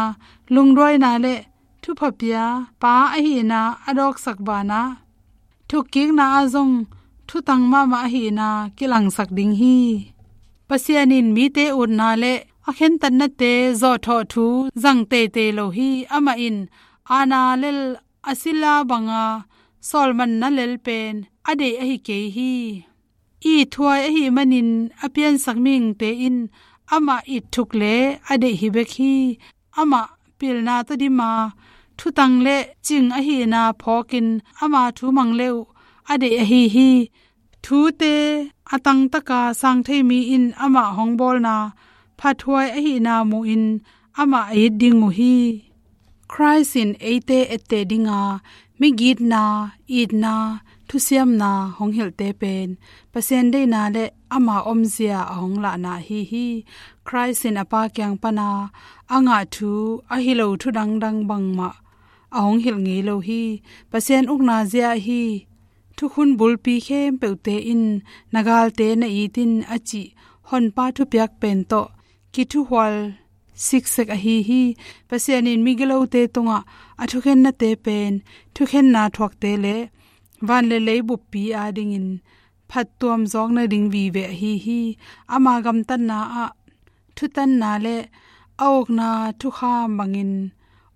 lungduaina le thupha pia pa ahihna a dawksak banah, thukkikna ah zong thutang mahmah ahihna kilangsak ding hi. Pasian in mite utna le a khentatnate zawhthawh thu zang teitei lo hi. Amah in aana lel a sila banga sawlmanna lel pen a deih ahi kei hi. Ithuai ahih manin a piansak mihingte in amah itthuk le a deih hi bek hi. Amah pilna tawh dima thutang le cing ahihna phawkin ama thu mang le uh a deih ahi hi. Thute a tangtaka sang thei mi in amah hong bawlna phathuai ahihna muhin amah a it ding uh hi. Khrist in eite etteh dinga migitna, itna, thusiamna hong hilhte pen Pasian deihna le ama omzia a hong lahna ahi hi. Khrist in a Pa kiang pana a ngah thu ahi lo thu dangdang bangmah a hong hilh ngei lo hi. Pasian ukna zia ahi, thukhun bulpi khempeuhte in na galte na it in a cih Honpa thupiak pen tawh kithuhual siksek ahi hi. Pasian in migilote tungah a thukhennate pen thukhenna thuakte le van le lei buppi adingin phattuam zawk nading vive ahi hi. Ama gamtatna ah thutanna le a ukna thukham bangin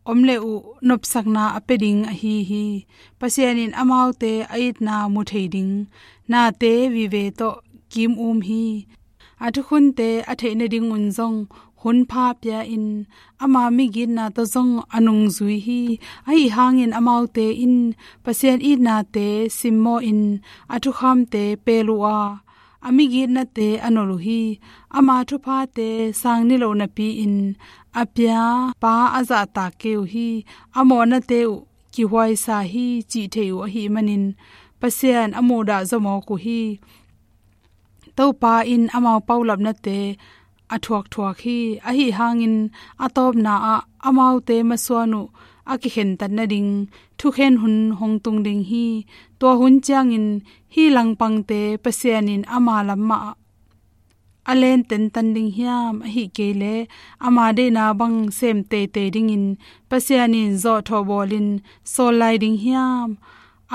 om le uh nopsakna a pia ding ahi hi. Pasian in amaute a itna mu thei ding nate vive tawh kim um hi. A thukhunte a theih nadingun zong hunpha pia-in ama migitna tawh zong a nungzui hi. Ahi hangin amaute in Pasian itnate simmawhin a thukhamte pel uh a, a migitnate a nolh uh hi. Ama thuphate sang niloh napi-in a pia pa a zahtak kei uh hi. A mawhnate uh kihuaisa hi cih thei uh ahih manin Pasian a muhdah zaw mawk uh hi. Topa in amau paulapnate a thuakthuak hi. Ahi hangin a tawpna ah amaute masuan uh a kikhentat nading thukhen hun hong tung ding hi. Tua hun ciangin hih langpangte Pasian in ama lam mah a len tentan ding hiam? Ahih kei leh ama deihna bang sem teitei dingin Pasian in zawhthawh bawlin sawl lai ding hiam?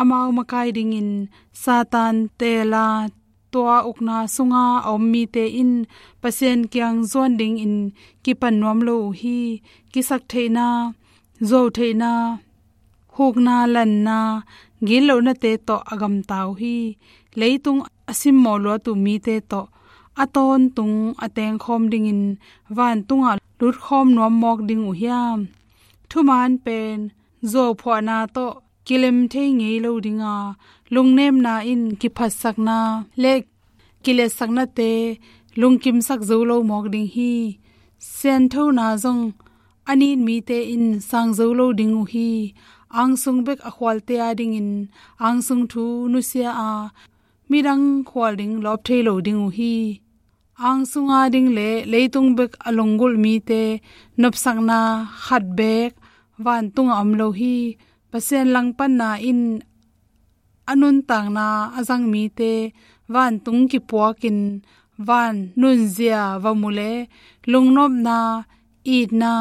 Amau makai dingin Satan teela tua ukna sunga a om mite in Pasian kiang zuan dingin kipan nuam lo uh hi. Kisaktheihna, zuautheihna, hukna, lanna, gitlohnate tawh a gamta uh hi. Leitung a simmawh luat uh mite tawh a tawntung a tengkhawm dingin vantungah lutkhawm nuam mawk ding uh hiam? Thuman pen zuauphuahna tawh kilem thei ngei lo dinga, lungnemna in kiphatsakna le kiletsaknate lungkimsak zo lo mawk ding hi. Sianthona zong a nit mite in sang zo lo ding uh hi. Angsung bek a khualte a dingin angsung thu nusia a, midang khual ding lawp thei lo ding uh hi. Angsunga ding le leitung bek a lunggulh mite nopsakna khat beek vantungah om lo hi. Pasian langpanna in a nuntakna a zang mite vantung kipuakin van nunzia va mu le lungnopna, itna,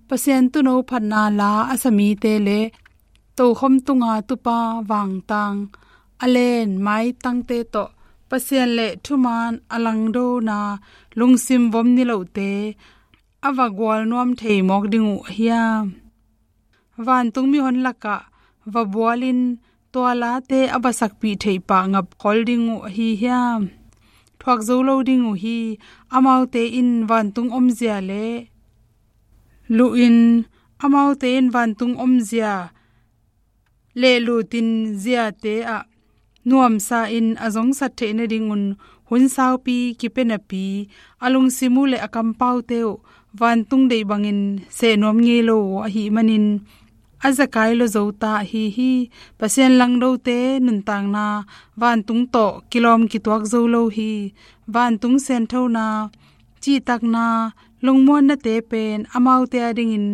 Pasian tuuno phatna la a sa mite le tokhom tunga tupa vangtang a len maitangte tawh Pasian le thuman a langdona lungsim vom nilohte a va gual nuam thei mawk ding uh hiam? Vantung mihon lakah va bualin tua late a va sakpih theih pah ngap khol ding uh ahi hiam? Thuak zo lo ding uh hi. Amaute in vantung omzia le luhin, amaute in vantung omzia le lutin ziate ah nuamsa in a zongsat theih nadingun hun saupi kipia napi a lungsim uh le a kampaute uh vantung deih bangin seh nuam ngei lo uh ahih manin a zekai lo zo ta ahi hi. Pasian langdote nuntakna vantung tawh kilawm kituak zo lo hi. Vantung sianthona, cihtakna, lungmuannate pen amaute a dingin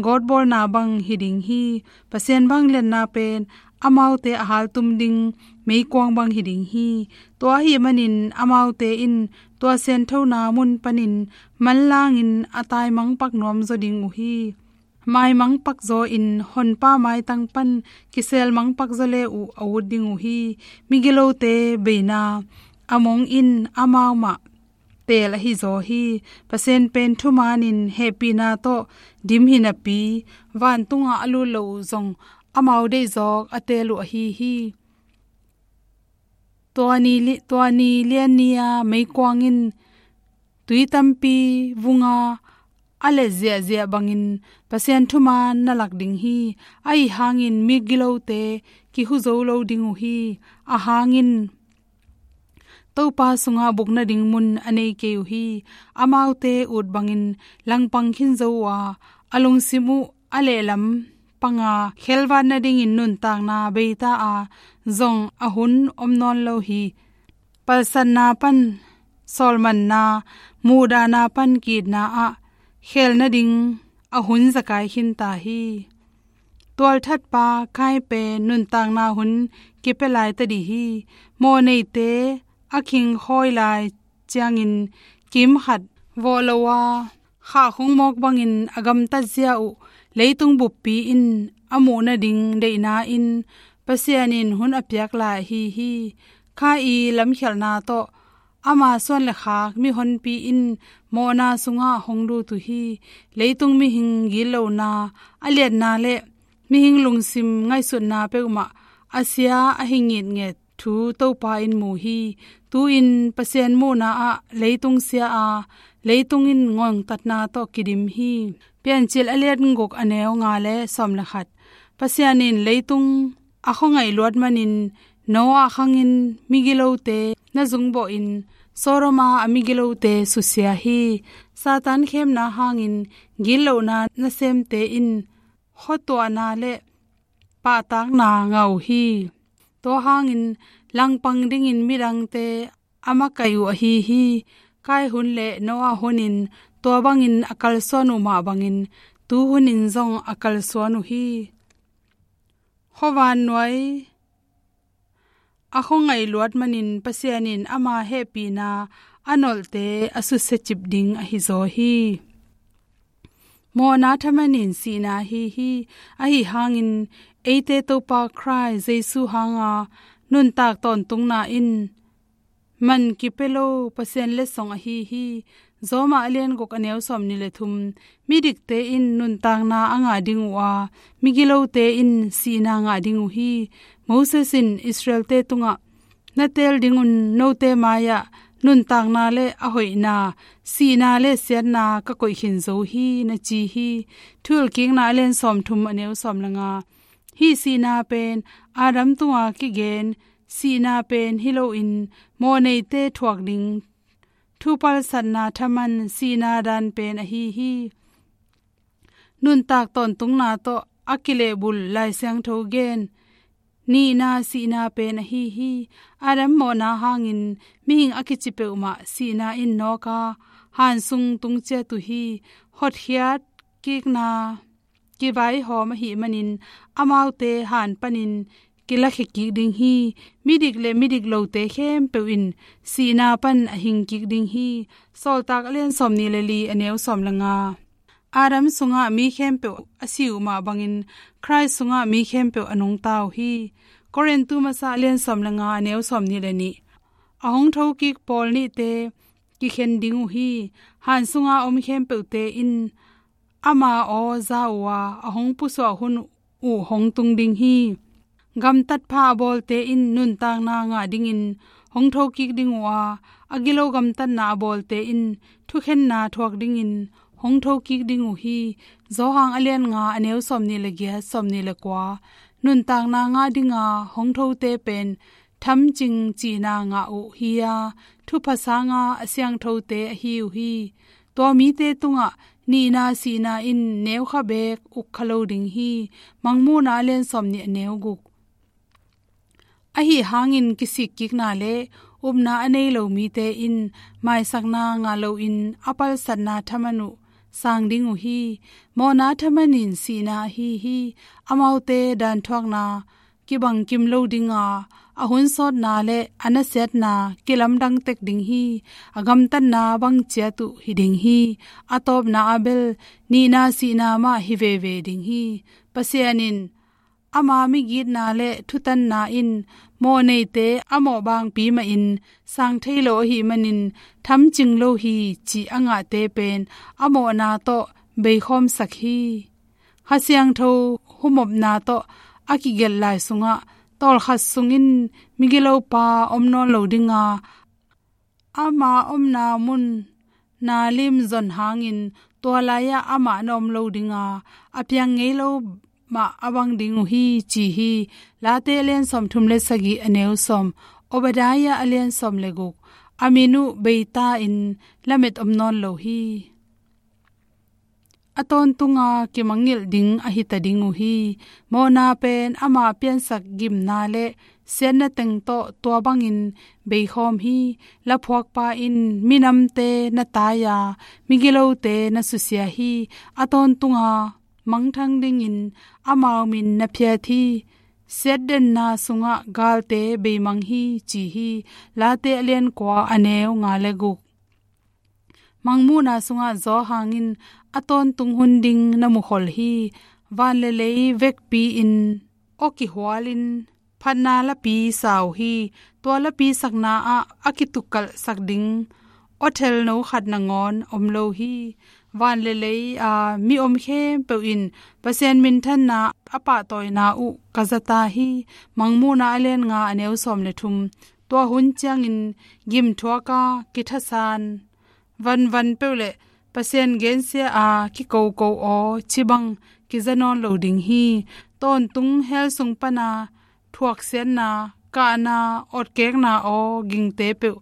gawtbawlna bang hi ding hi. Pasian vangliatna pen amaute a haltum ding meikuang bang hi ding hi. Tua ahih manin amaute in tua sianthona mun panin manlangin a taimangpak nuamzaw ding uh hi. Maimangpak zaw in Honpa maitang pan kiselmangpak zaw le uh a ut ding uh hi. Migilote beina a mong in amau mah teel ahi zaw hi. Pasian pen thumanin hehpihna tawh dim hi napi, vantungah a lut lo uh zong amau deihzawk a teel uh ahi hi. Tua ni li-, tua ni lian ni-a meikuang in tui tampi vunga a let ziahziah bangin Pasian thuman na lak ding hi. Ahi hangin migilote kihu zo lo ding uh hi. A hangin Topa sungah buk nading mun a nei kei uh hi. Amaute ut bangin langpang khin zo uh a, a lungsim uh a lehlam panga khelvat nadingin nuntakna beita a zong a hun om nawn lo hi. Palsatna pan sawlmanna, muhdahna pan kiitna ah khel nading a hun zekai khinta hi. Tualthatpa Kain pen nuntakna hun kipia lai ta dih hi. Mawhneite a khingkhawi lai ciangin kimkhat vawh lo a, khahkhung mawk bangin a gamtat zia uh leitung buppi in a muh nading deihna in Pasian in hun a piak lai ahi hi. Kha i lamkhialhna tawh ama suan le khak mihonpi in mawhna sungah hong lut uh hi. Leitung mihing gitlohna, a liatna le mihing lungsim ngaihsutna peuhmah a sia ahi ngitnget thu Topa in mu hi. Tu-in Pasian muhna ah leitung sia a, leitung in ngongtatna tawh kidim hi. Piancil a lian guk a neu nga le sawm le khat. Pasian in leitung a khuangaih luat manin Noah khangin migilote na zungbawhin Sodom a a migilote susia hi. Satan khemna hangin gitlohna nasemte in khuatuahna le pahtakna ngah uh hi. Tua hangin langpang dingin midangte a makaih uh ahi hi. Kain hun le Noah hunin tua bangin a kalsuan uh mah bangin tu hunin zong a kalsuan uh hi. Khuavannuai a khuangaih luat manin Pasian in ama hehpihna a nolhte a susia cip ding ahi zaw hi. Mawhna thaman in sihna ahi hi. Ahi hangin eite Topa Khrih Jesu hanga nuntak tawntungna in man kipia lo Pasian letsong ahi hi. Roma a lian guk a neu sawmnih le thum. Midikte in nuntakna a ngah ding uh a, migilote in sihna ngah ding uh hi. Moses in Israelte tungah, "Na teel dingun note mai-ah nuntakna le a hoihna, sihna le siatna ka koih khin zo hi," na ci hi. Thuhilhkikna a lian sawmthum a neu sawm le nga. Hih sihna pen Adam tunga kigen sihna pen hi loin, mawhneite thuak ding thupalsatna thaman sihna dan pen ahi hi. Nuntak tawntungna tawh a kilehbulh Lai Siangtho gen nihna sihna pen ahi hi. Adam mawhna hangin mihing a kici peuhmah sihna in nawk a, han sung tung ciat uh hi. Hotkhiat kikna kivaihawm ahih manin, amaute han panin kilakhia kik ding hi. Midik le midik lote khempeuh in sihna pan a hing kik ding hi. Sawltak a lian sawmnih le li a neu sawm le nga. Adam sungah mi khempeuh a si uh mah bangin, Khrih sungah mi khempeuh a nungta uh hi. Korintu masa a lian sawm le nga a neu sawmnih le nih. A hong thokik pawl nihte kikhen ding uh hi. Han sunga om khempeuhte in ama aw za uh a, a hong pusuah hun uh hong tung ding hi. Gamtat pha a bawlte in nuntakna ngah dingin hong thokik ding uh a, a gilo gamtatna a bawlte in thukhenna thuak dingin hong thokik ding uh hi. Johan a lian nga a neu sawmnih le giat, sawmnih le kua. Nuntakna ngah dinga hong thote pen thamcing cihna ngah uh hi a, thupha sanga a siangthote ahi uh hi. Tua mite tungah nihna sihna in neukha beek uk kha lo ding hi. Mangmuhna a lian sawmnih a neu guk. Ahi hangin kisikkikna le upna a nei lo mite in maisakna ngah loin a palsatna thaman uh sang ding uh hi. Mawhna thaman in sihna ahi hi. Amaute danthuakna kibangkim lo dinga, a hun sawtna le a nasiatna kilamdang tek ding hi. A gamtatna bang ciat uh hi ding hi. A tawpna ah bel nihna sihna mah hi veve ding hi. Pasian in ama migitna le thutanna in mawhneite a mawh bangpi mahin sang thei lo ahih manin, thamcing lo hi cih a ngahte pen a mawhna tawh beikhawmsak hi. Kha Siangtho humopna tawh a kigelh lai sungah tawlkhat sungin migilopa om nawn lo dinga, ama omna mun na lim zon hangin tua lai-ah amah na om lo dinga, a piang ngei lo mah a bang ding uh hi, ci hi. Late a lian sawmthum le sagih a neu sawm, Obadiah a lian sawm le guk. A min uh beita in lamet om nawn lo hi. A tawntunga kimangngilh ding ahi ta ding uh hi. Mawhna pen ama piansak gimna le siatna teng tawh tua bangin beikhawm hi. Laphuakpa in minamte na tai-a, migilote na susia hi. A tawntunga mangthang dingin amau min na phiat hi. Siatdenna sungah galte beimang hi, ci hi. Late a lian kua a neu nga le guk. Mangmuhna sungah Johan in a tawntung hun ding na mukhol hi. Van le lei vekpi-in aw kihualin phatna lapi sa uh hi. Tua lapi sakna ah a kitukalhsak ding aw thelno khat nangawn om lo hi. Van le lei-a mi om khempeuh in Pasian minthanna a pahtawina uh ka zata hi. Mangmuhna a lian nga a neu sawm le thum. Tua hun ciangin gimthuaka kithasan vanvan peuh le Pasian gensia a kikoko aw cibang kiza nawn lo ding hi. Tawntung hell sung pana thuaksiatna, kahna, otkekna aw gingte peuh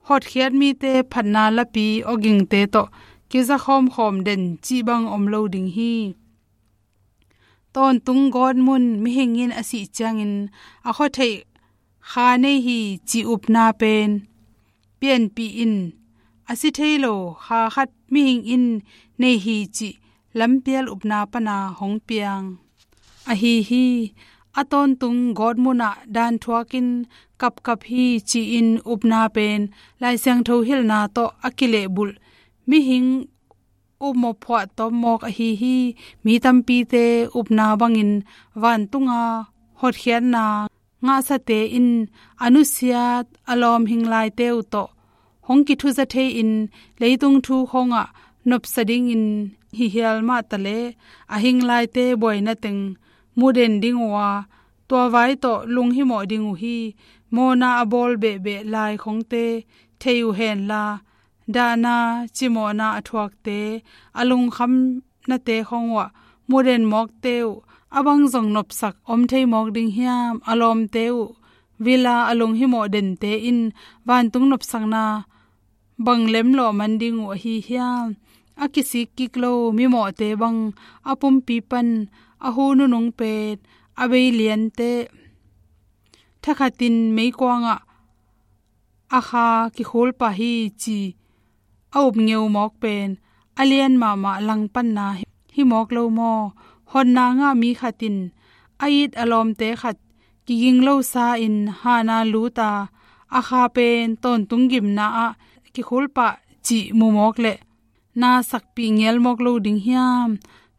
hotkhiat mite phatna lapi aw gingte tawh kiza khawmkhawm den cibang om lo ding hi. Tawntung gawtmun mihing in a sih ciangin a khuatheih kha nei hi cih upna pen pianpih in, a si thei lo kha khat mihing in nei hi cih lampial upna pana hong piang ahi hi. a tawntung gawtmunah danthuakin kapkap hi ci-in upna pen Lai Siangtho hilhna tawh a kilehbulh mihing upmawh phuahtawm mawk ahi hi. Mi tampite upna bangin vantunga hotkhiatna ngahsate in a nusiat a lawm hinglaite uh tawh hong kithuza thei-in leitung thu khawngah nopsa dingin hi hial mahtaleh a hinglaite buaina teng muh den ding uh a, tua vai tawh lunghimawh ding uh hi. Mawhna a bawl behbeh lai khongte thei uh henla, dahna cimawhna a thuakte a lungkhamnate khong uh ah muh den mawkte uh a bang zong nopsak om thei mawk ding hiam? A lawmte uh vila a lunghimawh dente in vantung nopsakna bang lem lawhman ding uh ahi hiam? A kisik kik lo mimawhte bang a pumpi pan a hu nunung pen a bei liante thakhatin meikuangah a kha kikhul pah hi ci a up ngeu mawk pen a lian mahmah langpanna hi mawk lo maw? Hotna ngah mi khat in a it a lawmte khat kiging losa in hahna lut a, a kha pen tawntung gimna ah kikhul pah cih mu mawk leh na sakpih ngial mawk lo ding hiam?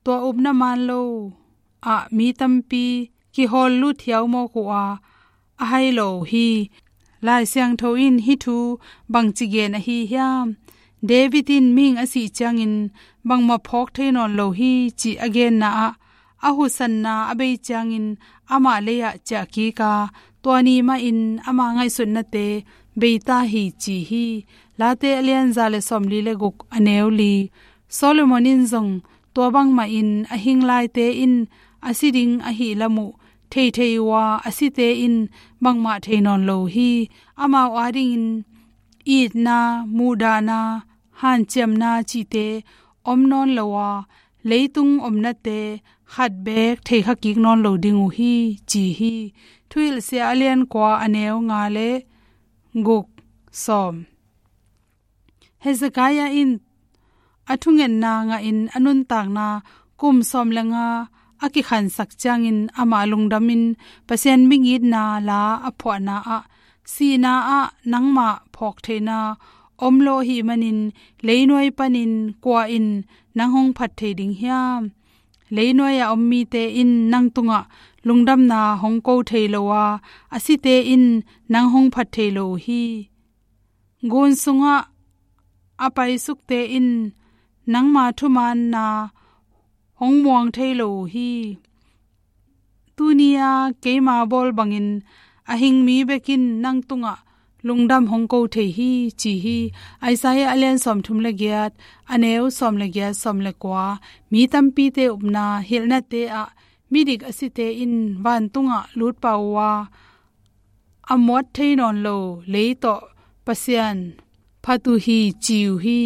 Tua upna man lo ah mi tampi kihawl lut hiau mawk uh a, a hai lo uh hi. Lai Siangtho in hih thu bangci gen ahi hiam? David in mihing a sih ciangin bangmah phawk thei nawn lo hi cih a genna ah a husanna a bei ciangin amah lei-ah ciah kik a, tua ni mahin ama ngaihsutnate bei ta hi ci hi. Late a lian za le sawmli le guk a neu li. Solomon in zong tua bangmahin a hinglaite in a si ding ahih lam uh theithei uh a, a site in bangmah thei nawn lo uh hi. Amau adingin itna, muhdahna, hanciamna cihte om nawn lo a, leitung omnate khat beek theikha kik nawn lo ding uh hi ci hi. Thuhilhsia a lian kua a neu nga le guk, sawm. Hezekiah in a thungetna ngahin a nuntakna kum sawm le nga a kikhansak ciangin amah lungdamin Pasian mingitna la a phuahna ah, sihna ah nangmah phawk theihna om lo ahih manin leinuai panin kua in nang hong phat thei ding hiam? Leinuai a om mite in nang tungah lungdamna hong ko thei lo a, a site in nang hong phat thei lo uh hi. Gun sungah a paisukte in nangma thumaanna hong muang thei lo uh hi. Tuni-a keima bawl bangin a hing mi bek in nang tungah lungdam hong ko thei hi ci hi. Isaiah a lian sawmthum le giat, a neu sawm le giat, sawm le kua. Mi tampite upna hilhnate ah midik a site in vantungah lut pah uh a, a muat thei nawn lo lei tawh Pasian phat uh hi ci uh hi.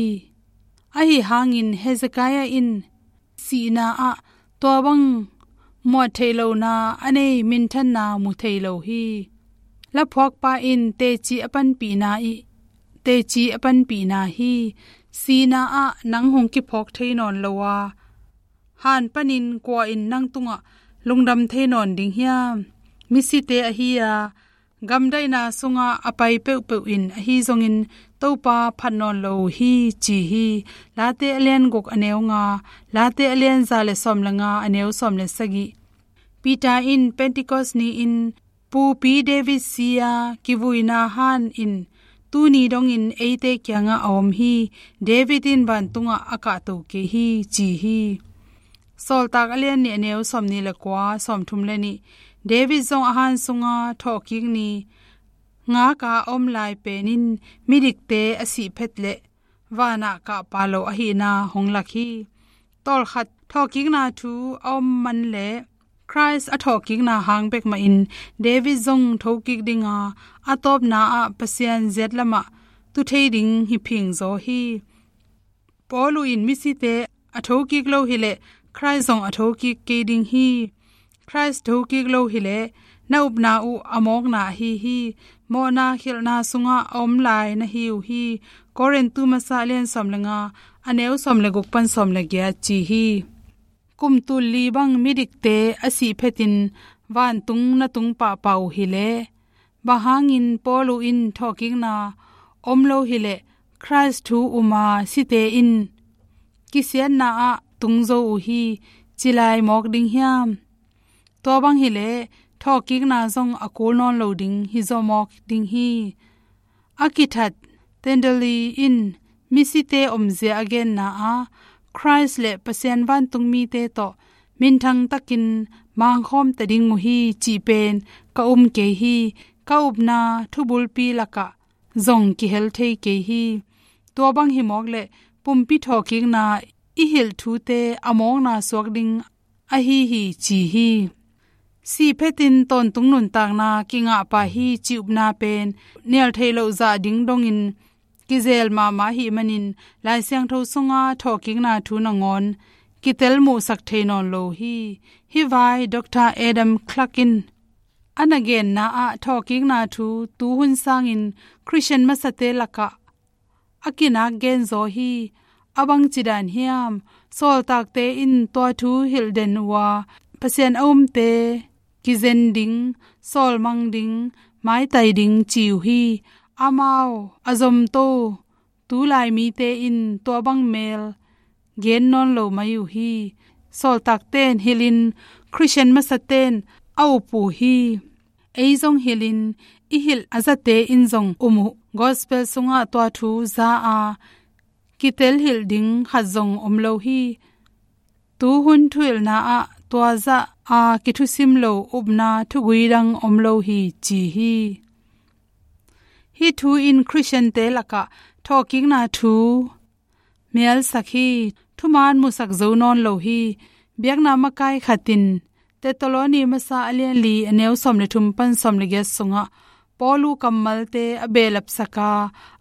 Ahi hangin Hezekiah in sihna ah tua bang muat theih lohna a nei minthanna mu thei lo hi. Laphuakpa in teci a panpihna ih, teci a panpihna hi. Sihna ah nang hong kiphawk thei nawn lo a, han panin kua in nang tungah lungdam thei nawn ding hiam? Misite ahi a, gamdaihna sungah a pai peuhpeuh in ahi zongin Topa phat nawn lo uh hi ci hi. Late a lian guk a neu nga, Late a lian za le sawm le nga a neu sawm le sagih. Peter in Pentecost ni-in Pupi David si-a kivuina han in tuni dongin eite kiangah a om hi. David in vantungah a kahto kei hi ci hi. Sawltak a lian nih a neu sawmnih le kua, sawmthum le nih. David zong a han sunga thawhkik ni ngaka a om lai pen in midikte a sih phet leh vanah kahpa lo ahihna hong lak hi. Tawlkhat thawhkikna thu a om man leh Khrist a thawhkikna hang bek mahin David zong thokik dinga, a tawpna ah Pasian ziat lamah tu thei ding hi phingzaw hi. Paul uh in misite a thokik lo hileh Khrist zong a thokik kei ding hi. Khrist thokik lo hileh na upna uh a mawkna ahi hi. Mawhna khilhna sungah a om lai na hi uh hi. Korintu masa a lian sawm le nga, a neu sawm le guk pan sawm le giat ci hi. Kum tul li bang midikte a sih phetin vantung na tung pahpah uh hileh, bang hangin Paulu in thawhkikna om lo hileh Khrist thu um a site in kisiatna ah tung zo uh hi, ci lai mawk ding hiam? Tua bang hileh thawhkikna zong a kul nawn lo ding hi zaw mawk ding hi. A kithat Tyndale in misite omzia a genna ah Khrist le Pasian vantungmite tawh minthang takin mangkhawm ta ding uh hi cih pen ka um kei hi. Ka upna thubulpi lakah zong kihel thei kei hi. Tua bang hi mawk leh pumpi thawhkikna i hilh thute a mawkna suak ding ahi hi, ci hi. Sih phetin tawntung nuntakna kingah pah hi cih upna pen nial theih loh zah ding dongin kizel mahmah ahih manin Lai Siangtho sunga thawhkikna thu nangawn kitel muhsak thei nawn lo hi. Hih vai Doctor Adam Clark in a na genna ah thawhkikna thu tuhun sangin Khristian masate lakah a kinak genzaw hi. A bangci dan hiam? Sawltakte in tua thu hilh den uh a, Pasian a umte kizen ding, sawlmang ding, maitai ding ci uh hi. Amau a zomto tulai mite in tua bang mel gen nawn lo mai uh hi. Sawltakte in hilhin Khristian masate'n a up uh hi. Ei zong hilhin i hilh a zate in zong um uh. Gospel sungah tua thu za a kitel hilh ding khat zong om lo hi. Tuhun thuhilhna ah tua zah a kithusim lo upna thugui dang om lo hi, ci hi. Hih thu in Khristiante lakah thawhkikna thu mialsak hi. Thuman musak zo nawn lo hi. Biakna makai khat in Thessaloni masa a lian li a neu sawm le thum pan sawm le giat sungah Paulu kammalte a behlapsak a,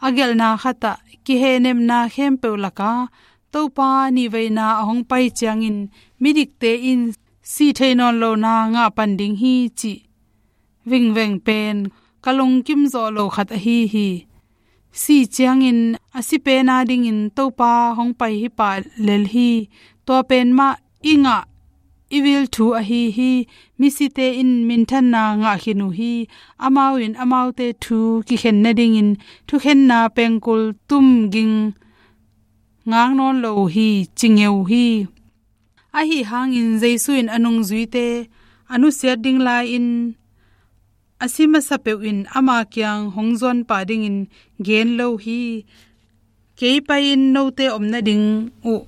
a gelhna khat ah kihehnepna khempeuh lakah Topa nihveina a hong pai ciangin midikte in sih theih nawn lohna ngah pan ding hi cih vingveng pen ka lungkim zawh lo khat ahi hi. Sih ciangin a si pen a dingin Topa hong pai hi pah lel hi. Tua pen mah i ngah i vil thu ahi hi. Misite in minthanna ngah khin uh hi. Amau in amaute thu kikhen nadingin thukhenna pengkul tum ging ngak nawn lo uh hi, ci ngeu uh hi. Ahi hangin Jesu in a nungzuite a nusiat ding lai-in a si masa peuh in ama kiang hong zuan pah dingin gen lo hi. Kei pai-in note om nading uh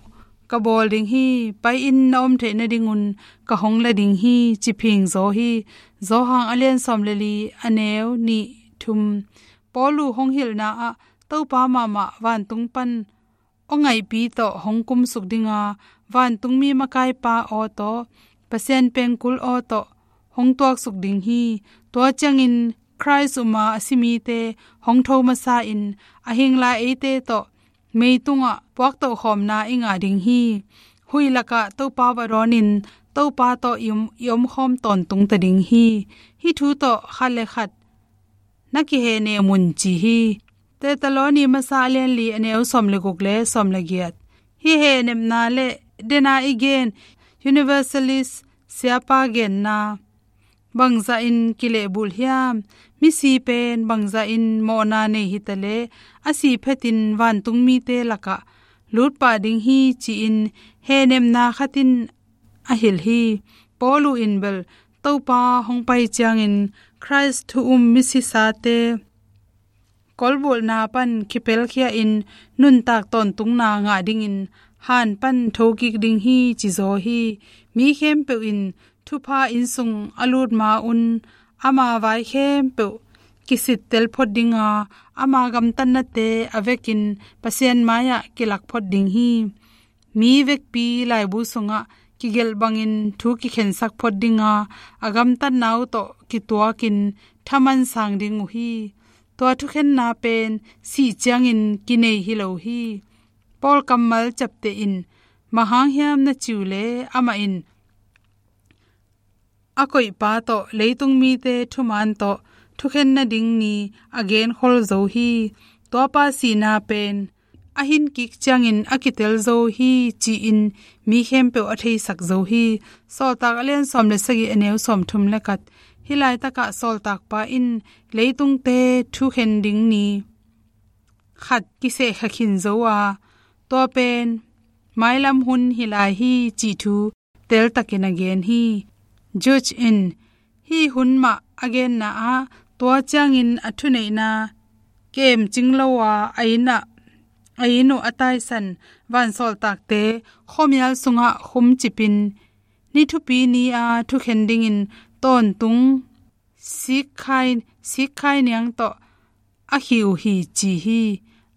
ka bawl ding hi. Pai-in na om theih nadingun ka hong la ding hi, ci phingzaw hi. Johan a lian sawm le li a neu nih thum. Paulu hong hilhna ah Topa mahmah vantung pan aw ngaihpi tawh hong kumsuk ding a, vantungmi makaipa aw tawh, Pasian pengkul aw tawh hong tuaksuk ding hi. Tua ciangin Khrist um a a si mite hong tho masa-in a hing lai eite tawh meitungah puaktohkhawmna i ngah ding hi. Huih lakah Topa va dawnin Topa tawh i om, i omkhawm tawntung ta ding hi. Hih thu tawh khat le khat na kihehnem un, ci hi. Thessaloni masa a lian li a neu sawm le guk le sawm le giat. Hih hehnepna le dena i gen Universalist siapa genna bangzahin kilehbulh hiam? Misi pen bangzahin mawhna nei hitaleh a sih phetin vantungmite lakah lutpah ding hi, ci-in hehnepna khat in a hilh hi. Paulu in bel Topa hong pai ciangin Khrist thu um misisate kolbulhna pan kipelkhia-in nuntak tawntungna ngah dingin han pan thokik ding hi, cizaw hi. Mi khempeuh in thupha innsung a lut ma-un ama vai khempeuh kisittel phot ding a, ama gamtatnate a vekin Pasian mai-ah kilak phot ding hi. Mi vekpi laibu sungah kigelh bangin thu kikhensak phot ding a, a gamtatna uh tawh kituakin thaman sang ding uh hi. Tua thukhenna pen sih ciangin kinei hi lo hi. Paul kammal ciapteh in bang hang hiam na cih uh leh, amah in a koihpa tawh leitung mite thuman tawh thukhen nading ni a genkhol zo hi. Tuapa sihna pen a hin kik ciangin a kitel zo hi, ci-in mi khempeuh a theisak zo hi. Sawltak a lian sawm le sagih, a neu sawm thum le khat. Hih laitakah sawltakpa in leitungte thukhen ding ni khat kisehkha khin zo a, tua pen mailam hun hi lai hi, cih thu teltakin a gen hi. Judge in hih hun mah a genna ah, tua ciangin a thuneihna kemcing lo a, a inn ah, a inn uh a taisan vansawltakte khuamial sungah khumcipin, ni thupi ni a thukhen dingin tawntung sikkhai, sikkhai niang tawh a khih uh hi, ci hi,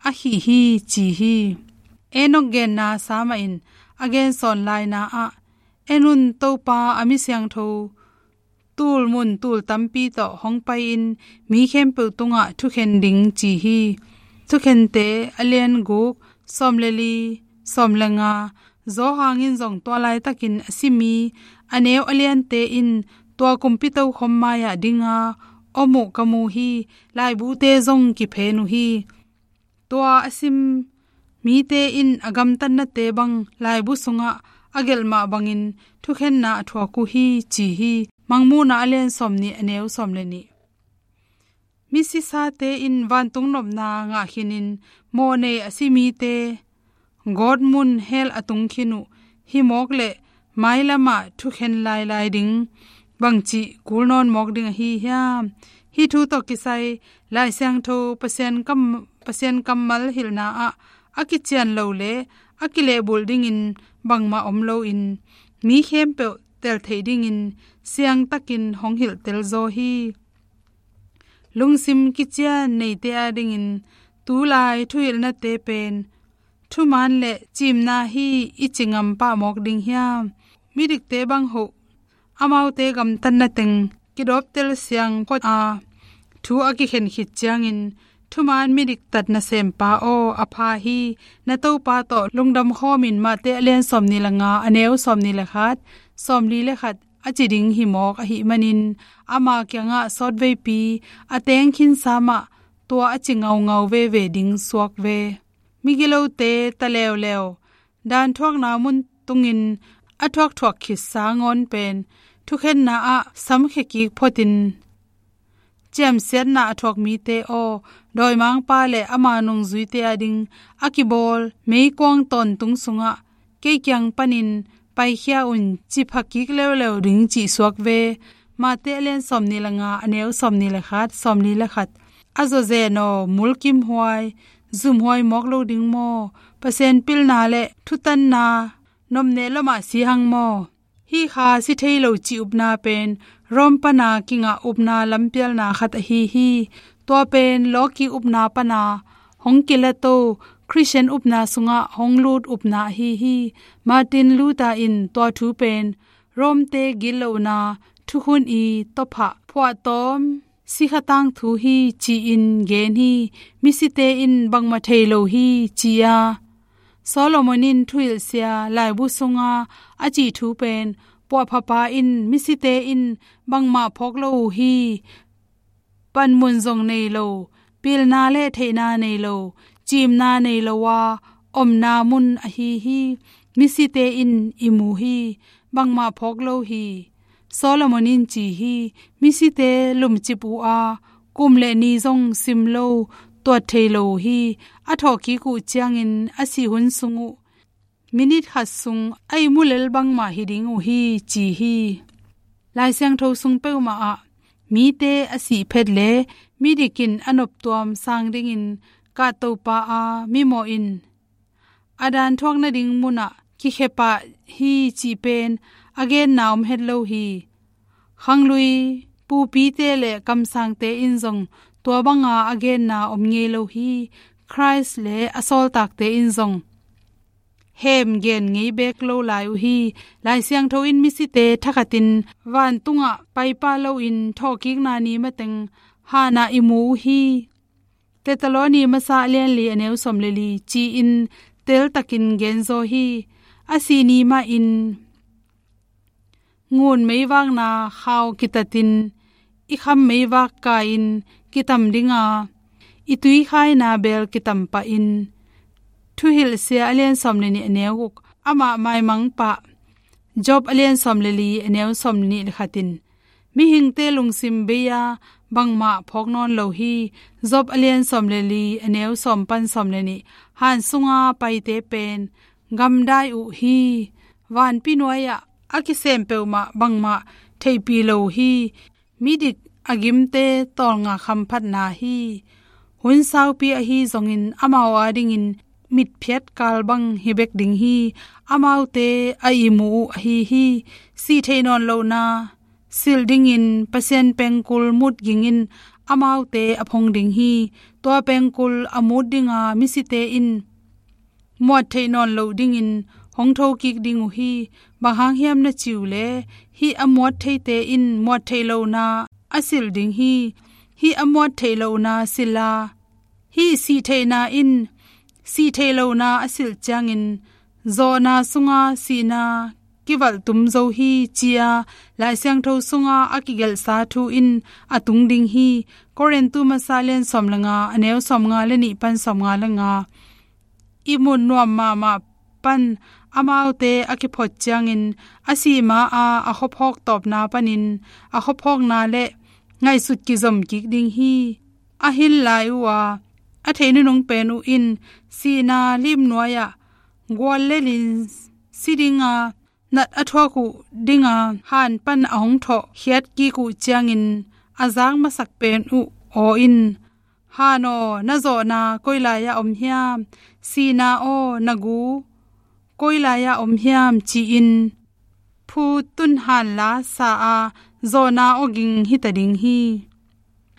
a khih hi, ci hi. Enok genna sa mahin a gensawn laina ah, en un, Topa a mi siangtho tul mun tul tampi tawh hong pai-in mi khempeuh tungah thukhen ding, ci hi. Thukhente a lian guk, sawm le li, sawm le nga. Johan in zong tua laitakin a si mi a neu a liante in tua kumpi tokhom mai-ah dinga om uh ka mu hi. Laibute zong kiphen uh hi. Tua a sim mite in a gamtatnate bang laibu sungah a gelh mah bangin thukhenna a thuak uh hi, ci hi. Mangmuhna a lian sawm nih, a neu sawm le nih. Misisate in vantung nopna ngah khinin, mawhnei a si mite gawtmun hell a tung khin uh hi mawk leh, mailamah thukhen lailai ding bangci kul nawn mawk ding ahi hiam? Hih thu tawh kisai Lai Siangtho Pasian kam, Pasian kammal hilhna ah a kician lo le a kilehbulh dingin bangmah om loin, mi khempeuh tel theih dingin siangtakin hong hilhtel zaw hi. Lungsim kician neite adingin tulai thuhilhnate pen thuman le cimna hi i ci ngam pah mawk ding hiam? Midikte bang hoh, amaute gamtatna teng kidawptel siang phot a, thu a kikhen khit ciangin, thuman midik tat nasempa aw, a pha hi, na Topa tawh lungdam khawmin, Mate a lian sawmnih le nga, a neu sawmnih le khat, sawmli le khat a ci ding hi mawk ahih manin, ama kiangah sawtveipi a teng khinsa mah tua a ci ngaungau veve ding suak ve. Migilote ta leuleu dan thuakna mun tungin a thuakthuak khitsa ngawn pen thukhenna ah samkhia kik photin, ciamsiatna a thuak mite aw, dawimangpa le ama nungzuite ading a kibawl meikuang tawntung sungah kei kiang panin paikhia un, ci pha kik leuleu ding cih suak ve. Mate a lian sawmnih le nga, a neu sawmnih le khat, sawmli le khat. A zawzen aw, mulkimhuai, zumhuai mawk lo ding maw? Pasian pilna le thutanna nomneh lo mah si hang maw? Hih kha si thei lo cih upna pen Rom pana kingah upna lampialna khat ahi hi. Tua pen lawki upna pana hong kilato Khristian upna sungah hong lut upna ahi hi. Martin Luther in tua thu pen Romte gitlohna thukhun i tawphah phuahtawm sikha tangthu hi, ci-in gen hi. Misite in bangmah thei lo hi, ci a, Solomon in thuhilhsia laibu sunga a cih thu pen puahphapa in misite in bangmah phawk lo uh hi. Panmun zong nei lo, pilna le theihna nei lo, cimna nei lo a omna mun ahi hi. Misite in i mu hi, bangmah phawk lo hi. Solomon in ci hi, misite lumcip uh a, kum le ni zong sim lo, tuat thei lo uh hi. A thawhkik uh ciangin a sih hun sung uh minit khat sung a ihmu lel bangmah hi ding uh hi, ci hi. Lai Siangtho sung peuhmah ah mite a sih phet le midik in a noptuam sang dingin kahtopa a mimawh in a dan thuak nading munah kikhia pah hi, cih pen a genna om het lo hi. Khanglui pupite le kamsangte in zong tua banga a genna om ngei lo hi. Khrist le a sawltakte in zong hem gen ngei bek lo lai uh hi. Lai Siangtho in misite thakhatin vantungah paipah loin thawhkikna ni mateng hanah i mu uh hi. Thesalonika masa a lian li, a neu sawm le li, ci-in teltakin genzaw hi. A sih ni mahin ngun meivakna khau kitatin, i kham meivak kai-in kitam dinga, i tuikhaina bel kitam pahin, Thuhilhsia a lian sawm le nih a neu guk, amah maimang pah. Job a lian sawm le li a neu sawm le nih le khat in, mihingte lungsim bei-a bangmah phawk nawn lo hi. Job a lian sawm le li a neu sawm pan sawm le nih, han sunga paite pen gamdai uh hi. Vanpi nuai-ah a kisem peuhmah bangmah theihpih lo hi. Midik a gimte tawlnga khamphatna hi. Hun saupi ahi zongin amau adingin mitphiat kal bang hi bek ding hi. Amaute a ihmu uh ahi hi. Sih theih nawn lohna silh dingin Pasian pengkul mut gingin amaute a phong ding hi. Tua pengkul a mut dinga misite in muat theih nawn loh dingin hong thokik ding uh hi. Bang hang hiam na ci uh leh, hih a muat theite in muat theih lohna a silh ding hi. Hih a muat theih lohna silh a, hih sih theihna in sih theih lohna a silh ciangin zawhna sunga sihna kivalh tum zo hi, ci-a Lai Siangtho sunga a kigelhsa thu in a tung ding hi. Korintu masa lian sawm le nga, a neu sawm nga le nih pan sawm nga le nga. Ihmut nuam mahmah pan amaute a kiphot ciangin a sih ma-a a khuaphawk tawpna panin a khuaphawkna le ngaihsut kizom kik ding hi. A hin lai uh a, a thei nunung pen uh in sihna lim nuai-ah gual le lin si dinga nat a thuak uh dinga han pan a hong thawh khiat kik uh ciangin a zak masak pen uh aw in, "Han aw, na zawhna koi lai-ah om hiam? Sihna aw, na gu koi lai-ah om hiam?" ci-in phu tun han la sa-a zawhna aw ging hita ding hi.